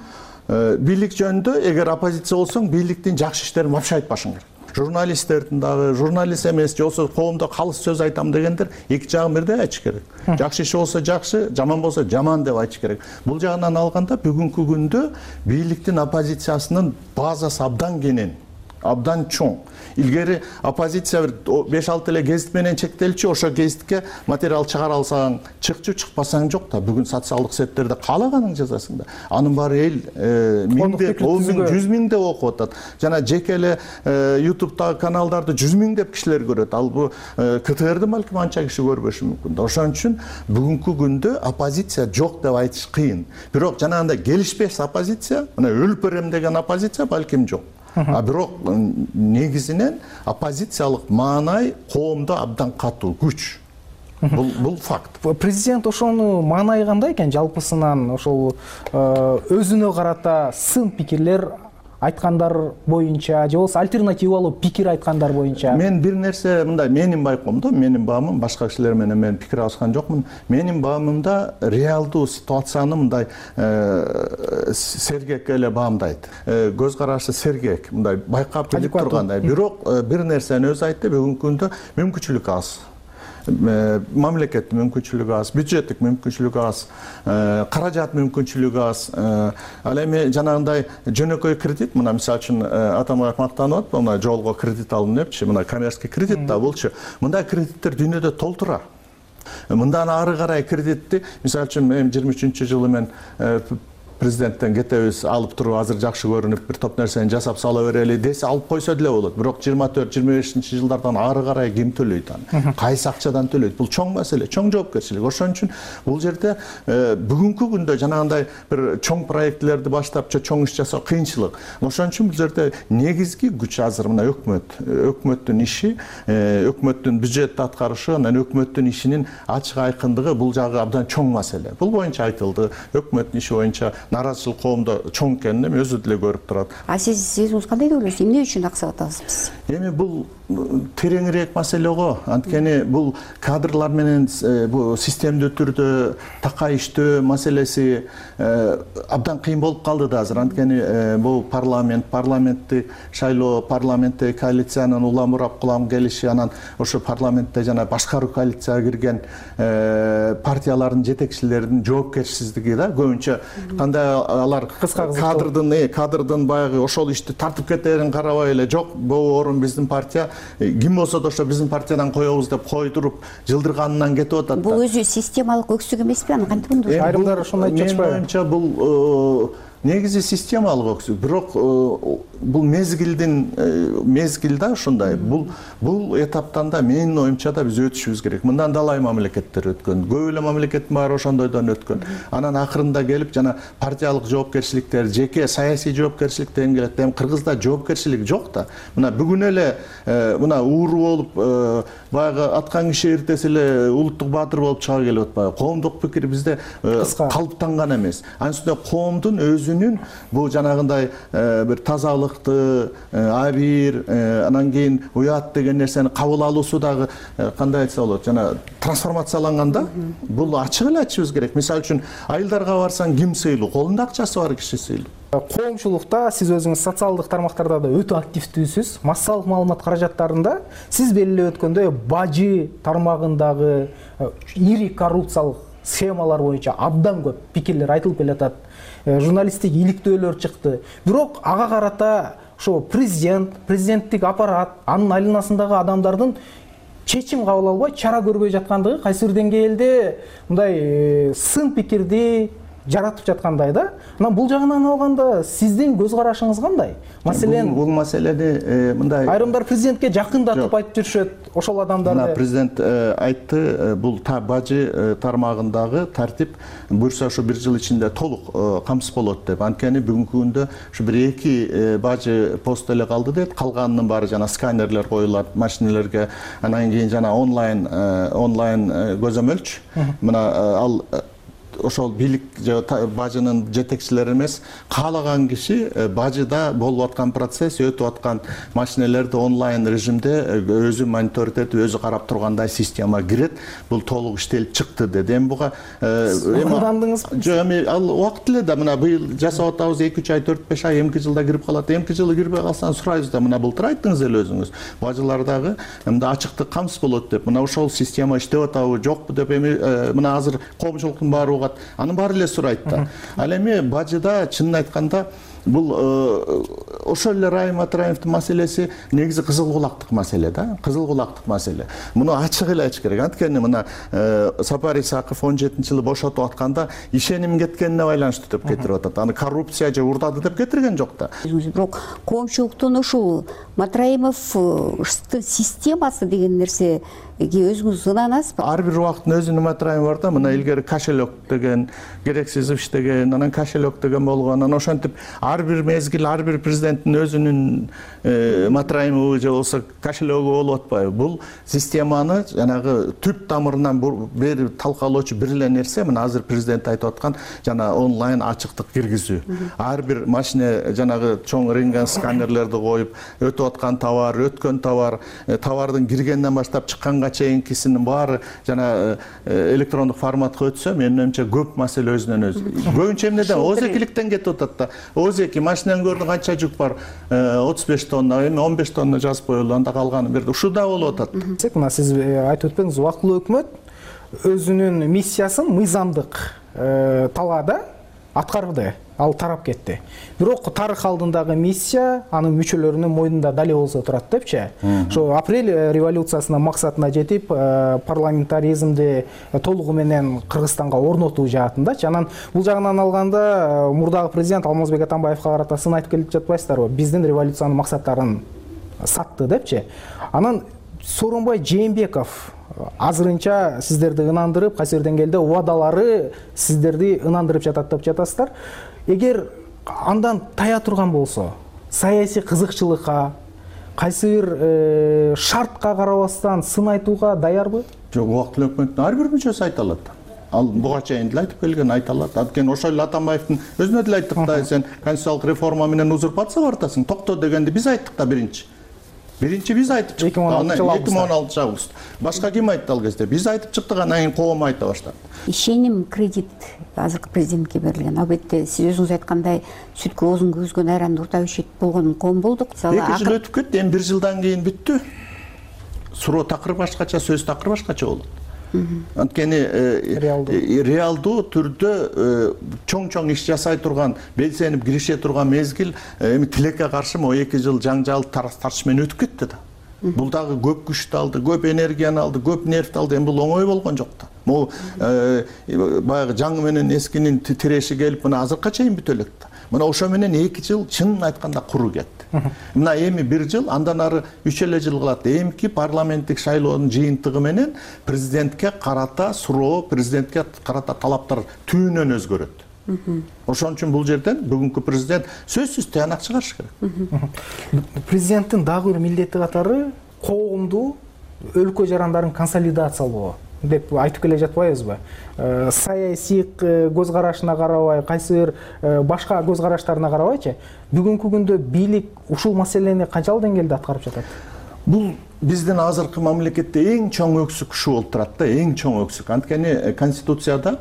бийлик жөнүндө эгер оппозиция болсоң, бийликтин жакшы иштерин вообще айтпашың керек. Журналисттердин дагы, журналист эмес, же болсо коомдо калыс сөз айтам дегендер эки жагын бирдей айтыш керек. Жакшы иши болсо жакшы, жаман болсо жаман деп айтыш керек. Бул жагынан алганда бүгүнкү күндө бийликтин оппозициясынын базасы абдан кенен, абдан чоң. Илгери оппозиция бир беш алты эле гезит менен чектелчү, ошо гезитке материал чыгара алсаң чыкчу, чыкпасаң жок да. Бүгүн социалдык сеттерде каалаганың жазасың да. Анын баары эл миңдеп, он миң, жүз миңдеп окуп атат. Жана жеке эле ютубтагы каналдарды жүз миңдеп кишилер көрөт. Ал бу КТРди балким анча киши көрбөшү мүмкүн. Ошон үчүн бүгүнкү күндө оппозиция жок деп айтыш кыйын. Бирок жанагындай келишпес оппозиция, мына өлүп берем деген оппозиция балким жок. А бирок негизинен оппозициялык маанай коомдо абдан катуу күч. Бул бул факт. Президент ошону маанай кандай экен жалпысынан, ошол өзүнө карата сын пикирлер айткандар боюнча же болбосо альтернативалуу пикир айткандар боюнча? Мен бир нерсе мындай, менин байкоомдо, менин баамым, башка кишилер менен мен пикир алышкан жокмун. Менин баамымда реалдуу ситуацияны мындай сергек эле баамдайт. Көз карашы сергек, мындай байкап билип тургандай. Бирок бир нерсени өзү айтты, бүгүнкү күндө мүмкүнчүлүк аз. Мамлекеттин мүмкүнчүлүгү аз, бюджеттик мүмкүнчүлүгү аз, каражат мүмкүнчүлүгү аз. Ал эми жанагындай жөнөкөй кредит, мына мисалы үчүн атамбаев мактанып атпы, мына жолго кредит алдым депчи, мына коммерческий кредит да булчу. Мындай кредиттер дүйнөдө толтура. Мындан ары карай кредитти, мисалы үчүн эми жыйырма үчүнчү жылы мен президенттен кетебиз, алып туруп азыр жакшы көрүнүп бир топ нерсени жасап сала берели десе алып койсо деле болот. Бирок жыйырма төрт жыйырма бешинчи жылдардан ары карай ким төлөйт аны? Кайсы акчадан төлөйт? Бул чоң маселе, чоң жоопкерчилик. Ошон үчүн бул жерде бүгүнкү күндө жанагындай бир чоң проектлерди баштап, чоң иш жасоо кыйынчылык. Ошон үчүн бул жерде негизги күч азыр мына өкмөт. Өкмөттүн иши, өкмөттүн бюджет аткарышы, анан өкмөттүн ишинин ачык айкындыгы бул жагы абдан чоң маселе. Бул боюнча айтылды. Өкмөттүн иши боюнча нааразычылык коомдо чоң экенин эми өзү деле көрүп турат. А сиз өзүңүз кандай деп ойлойсуз? Эмне үчүн аксап атабыз? Эми бул тереңирээк маселе го. Анткени бул кадрлар менен бул системдүү түрдө такай иштөө маселеси абдан кыйын болуп калды да азыр. Анткени бул парламент, парламентти шайлоо, парламентте коалициянын улам урап кулам келиши, анан ошо парламентте жана башкаруу коалицияга кирген партиялардын жетекчилеринин жоопкерчисиздиги да көбүнчө кандай алар кадрдын кадрдын баягы ошол ишти тартып кетерин карабай эле жок, бул орун биздин партия, ким болсо да ошо биздин партиядан коебуз деп койдуруп жылдырганынан кетип атат. Бул өзү системалык өксүк эмеспи? Аны кантип оңдош? Айрымдар ошондой айтып жатышпайбы? Менин оюмча бул негизи системалык өксүк. Бирок бул мезгилдин мезгил да ушундай. Бул бул этаптан да менин оюмча да биз өтүшүбүз керек. Мындан далай мамлекеттер өткөн. Көп эле мамлекеттин баары ошондойдон өткөн. Анан акырында келип жана партиялык жоопкерчиликтер, жеке саясий жоопкерчиликтен келет. Эми Кыргызда жоопкерчилик жок да. Мына бүгүн эле мына ууру болуп баягы аткан киши эртеси эле улуттук баатыр болуп чыга келип атпайбы? Коомдук пикир бизде калыптанган эмес. Анын үстүнө коомдун өзүнүн бул жанагындай бир тазалыкты, абийир, анан кийин уят деген нерсени кабыл алуусу дагы кандай айтса болот, жана трансформацияланганда бул ачык эле айтышыбыз керек. Мисалы үчүн айылдарга барсаң ким сыйлуу? Колунда акчасы бар киши сыйлуу. Коомчулукта сиз өзүңүз социалдык тармактарда да өтө активдүүсүз. Массалык маалымат каражаттарында сиз белгилеп өткөндөй бажы тармагындагы ири коррупциялык схемалар боюнча абдан көп пикирлер айтылып келатат. Журналисттик иликтөөлөр чыкты. Бирок ага карата ошо президент, президенттик аппарат, анын айланасындагы адамдардын чечим кабыл албай, чара көрбөй жаткандыгы кайсы бир деңгээлде мындай сын пикирди жаратып жаткандай да. Анан бул жагынан алганда сиздин көз карашыңыз кандай? Маселен, бул маселени мындай айрымдар президентке жакындатып айтып жүрүшөт, ошол адамдарды. Мына президент айтты, бул бажы тармагындагы тартип буюрса ошо бир жыл ичинде толук камсыз болот деп. Анткени бүгүнкү күндө ушу бир эки бажы пост эле калды дейт. Калганынын баары жана сканерлер коюлат машиналерге, анан кийин жана онлайн онлайн көзөмөлчү. Мына ал ошол бийлик же бажынын жетекчилери эмес, каалаган киши бажыда болуп аткан процесс, өтүп аткан машинелерди онлайн режимде өзү мониторинг этип, өзү карап тургандай система кирет. Бул толук иштелип чыкты деди. Эми буга ырдандыңызбы? Жок, эми ал убакыт эле да, мына быйыл жасап атабыз, эки үч ай, төрт беш ай, эмки жылда кирип калат. Эмки жылы кирбей калсаң сурайбыз да, мына былтыр айттыңыз эле өзүңүз. Бажылардагы мындай ачыктык камсыз болот деп. Мына ошол система иштеп атабы, жокпу деп эми мына азыр коомчулуктун баары анын баары эле сурайт да. Ал эми бажыда чынын айтканда бул ошол эле Райым Атраевдин маселеси негизи кызыл кулактык маселе да, кызыл кулактык маселе. Муну ачык эле айтыш керек. Анткени мына Сапар Исаков он жетинчи жылы бошотуп атканда ишеним кеткенине байланыштуу деп кетирип атат. Аны коррупция же урдады деп кетирген жок да. Бирок коомчулуктун ушул Матраимовдун системасы деген нерсе өзүңүз ынанасызбы? Ар бир убакыттын өзүнүн матрайымы бар да. Мына илгери кошелек деген, керексиз иш деген, анан кошелек деген болгон. Анан ошентип ар бир мезгил ар бир президенттин өзүнүн матрайымы же болбосо кошелегү болуп атпайбы. Бул системаны жанагы түп тамырынан бери талкалоочу бир эле нерсе мына азыр президент айтып аткан жана онлайн ачыктык киргизүү. Ар бир машина жанагы чоң рентген сканерлерди коюп, өтүп аткан товар, өткөн товар, товардын киргенден баштап чыкканга чейинкисинин баары жана электрондук форматка өтсө, менин оюмча көп маселе өзүнөн өзү. Көбүнчө эмнеден оозекиликтен кетип атат да. Оозеки машинаны көрдүң канча жүк бар? отуз беш тонна, эми он беш тонна жазып коелу, анда калганы берди. Ушуда болуп атат. Мына сиз айтып өтпөңүз, убактылуу өкмөт өзүнүн миссиясын мыйзамдык талаада аткарды, ал тарап кетти. Бирок тарых алдындагы миссия анын мүчөлөрүнүн мойнунда дале болсо турат депчи. Ошо апрель революциясынын максатына жетип, парламентаризмди толугу менен Кыргызстанга орнотуу жаатындачы. Анан бул жагынан алганда мурдагы президент Алмазбек Атамбаевга карата сын айтып келип жатпайсыздарбы? Биздин революциянын максаттарын сатты депчи. Анан Сооронбай Жээнбеков азырынча сиздерди ынандырып, кайсы бир деңгээлде убадалары сиздерди ынандырып жатат деп жатасыздар. Эгер андан тая турган болсо, саясий кызыкчылыкка, кайсы бир шартка карабастан сын айтууга даярбы? Жок, убактылуу өкмөттүн ар бир мүчөсү айта алат. Ал буга чейин деле айтып келген, айта алат. Анткени ошол эле Атамбаевдин өзүнө деле айттык да, сен конституциялык реформа менен узурпацияга бартасың, токто дегенди биз айттык да биринчи. Биринчи биз айтып чыктык. эки миң он алтынчы август. Башка ким айтты ал кезде? Биз айтып чыктык, анан кийин коом айта баштады. Ишеним кредит азыркы президентке берилген. Албетте сиз өзүңүз айткандай сүткө оозун күйгүзгөн айранды урта ишет болгон коом болдук. эки жыл өтүп кетти, эми бир жылдан кийин бүттү. Суроо такыр башкача, сөз такыр башкача болот. Анткени реалдуу түрдө чоң-чоң иш жасай турган, белсенип киреше турган мезгил эми тилекке каршы могу эки жыл жаңжал тартыш менен өтүп кетти да. Бул дагы көп күчтү алды, көп энергияны алды, көп нервти алды. Эми бул оңой болгон жок да. Могу баягы жаңы менен эскинин тиреши келип, мына азыркка чейин бүтө элек да. Мына ошо менен эки жыл чынын айтканда куру кетти. Мына эми бир жыл, андан ары үч эле жыл калат. Эмки парламенттик шайлоонун жыйынтыгы менен президентке карата суроо, президентке карата талаптар түбүнөн өзгөрөт. Ошон үчүн бул жерден бүгүнкү президент сөзсүз тыянак чыгарыш керек. Президенттин дагы бир милдети катары коомду, өлкө жарандарын консолидациялоо деп айтып келе жатпайбызбы? Саясий көз карашына карабай, кайсы бир башка көз караштарына карабайчы, бүгүнкү күндө бийлик ушул маселени канчалык деңгээлде аткарып жатат? Бул биздин азыркы мамлекетте эң чоң өксүк ушу болуп турат да, эң чоң өксүк. Анткени Конституцияда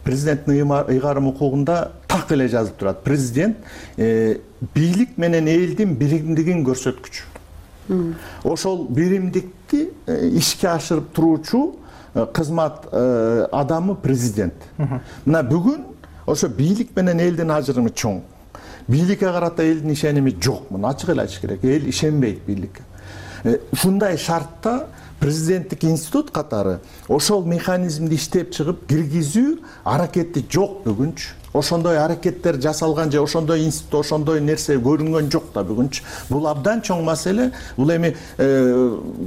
президенттин ыйгарым укугунда так эле жазып турат. Президент бийлик менен элдин биримдигин көрсөткүчү. Ошол биримдикти ишке ашырып туруучу кызмат адамы президент. Мына бүгүн ошо бийлик менен элдин ажырымы чоң. Бийликке карата элдин ишеними жок. Муну ачык эле айтыш керек. Эл ишенбейт бийликке. Ушундай шартта президенттик институт катары ошол механизмди иштеп чыгып киргизүү аракети жок бүгүнчү. Ошондой аракеттер жасалган же ошондой институт, ошондой нерсе көрүнгөн жок да бүгүнчү. Бул абдан чоң маселе. Бул эми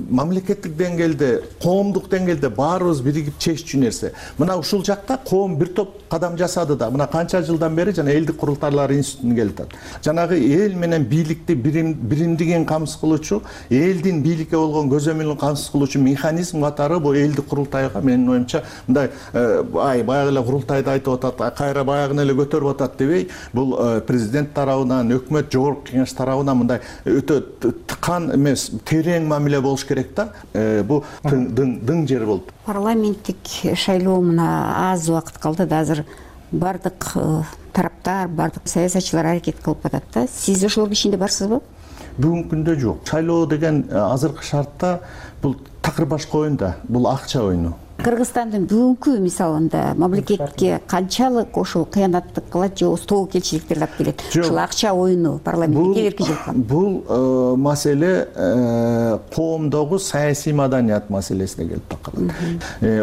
мамлекеттик деңгээлде, коомдук деңгээлде баарыбыз биригип чеччү нерсе. Мына ушул жакта коом бир топ кадам жасады да. Мына канча жылдан бери жана элдик курултайлар институтун келатат. Жанагы эл менен бийликти биримдигин камсыз кылуучу, элдин бийликке болгон көзөмөлүн камсыз кылуучу механизм катары бул элдик курултайга менин оюмча мындай ай баягы эле курултайда айтып атат, кайра баягы эле көтөрүп атат дебей, бул президент тарабынан, өкмөт, жогорку кеңеш тарабынан мындай өтө тыкан эмес, терең мамиле болуш керек да. Бул дың жер болду. Парламенттик шайлоо мына аз убакыт калды да, азыр бардык тараптар, бардык саясатчылар аракет кылып атат да. Сиз ошолордун ичинде барсызбы? Бүгүнкү күндө жок. Шайлоо деген азыркы шартта бул такыр башка оюн да, бул акча оюну. кыргызстандын бүгүнкү мисалында мамлекетке канчалык ошол кыянаттык кылат же болбосо тобу келчиликтерди алып келет? Ушул акча оюну парламентке келерки жылкы. Бул маселе коомдогу саясий маданият маселесине келип такалат.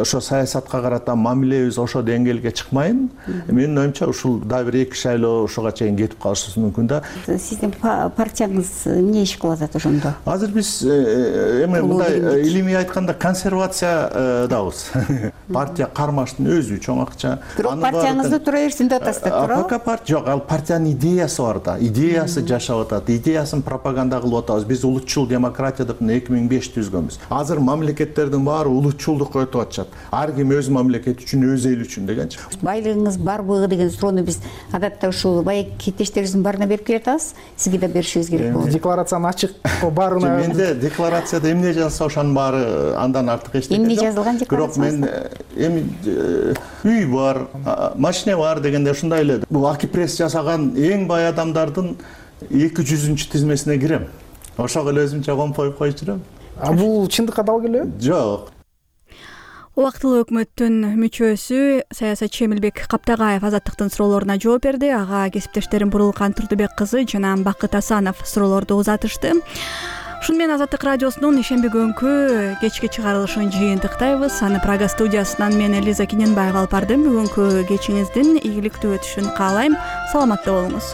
Ошо саясатка карата мамилебиз ошо деңгээлге чыкмайын. Менин оюмча ушул дагы бир эки шайлоо ошого чейин кетип калышы мүмкүн да. Сиздин партияңыз эмне иш кылып атат ошондо? Азыр биз эме мындай илимий айтканда консервациядабыз. Партия кармаштын өзү чоң акча. Бирок партияңызды тура берсин деп атасыздар, туурабы? АПК партия жок, ал партиянын идеясы бар да. Идеясы жашап атат, идеясын пропаганда кылып атабыз. Биз улутчул демократия деп эки миң беш түзгөнбүз. Азыр мамлекеттердин баары улутчулдукка өтүп атышат. Ар ким өз мамлекети үчүн, өз эли үчүн дегенчи. Байлыгыңыз барбы деген суроону биз адатта ушул байки кеттештерибиздин баарына берип келатабыз. Сизге да беришибиз керек болот. Декларациянын ачык баарына. Менде декларацияда эмне жазса ошонун баары андан артык эч нерсе жок. Эмне жазылган декларация? Бирок мен эми үй бар, машина бар дегенде ушундай эле. Бул Акипресс жасаган эң бай адамдардын эки жүзүнчү тизмесине кирем. Ошого эле өзүмчө компоюп коюп жүрөм. А бул чындыкка дал келеби? Жок. Убактылуу өкмөттүн мүчөсү саясатчы Эмилбек Каптагаев азаттыктын суроолоруна жооп берди. Ага кесиптештерим Бурулкан Турдубек кызы жана Бакыт Асанов суроолорду узатышты. Ушуну менен Азаттык радиосунун ишемби күнгү кечки чыгарылышын жыйынтыктайбыз. Аны Прага студиясынан мен Элиза Киненбаева алып бардым. Бүгүнкү кечиңиздин ийгиликтүү өтүшүн каалайм. Саламатта болуңуз.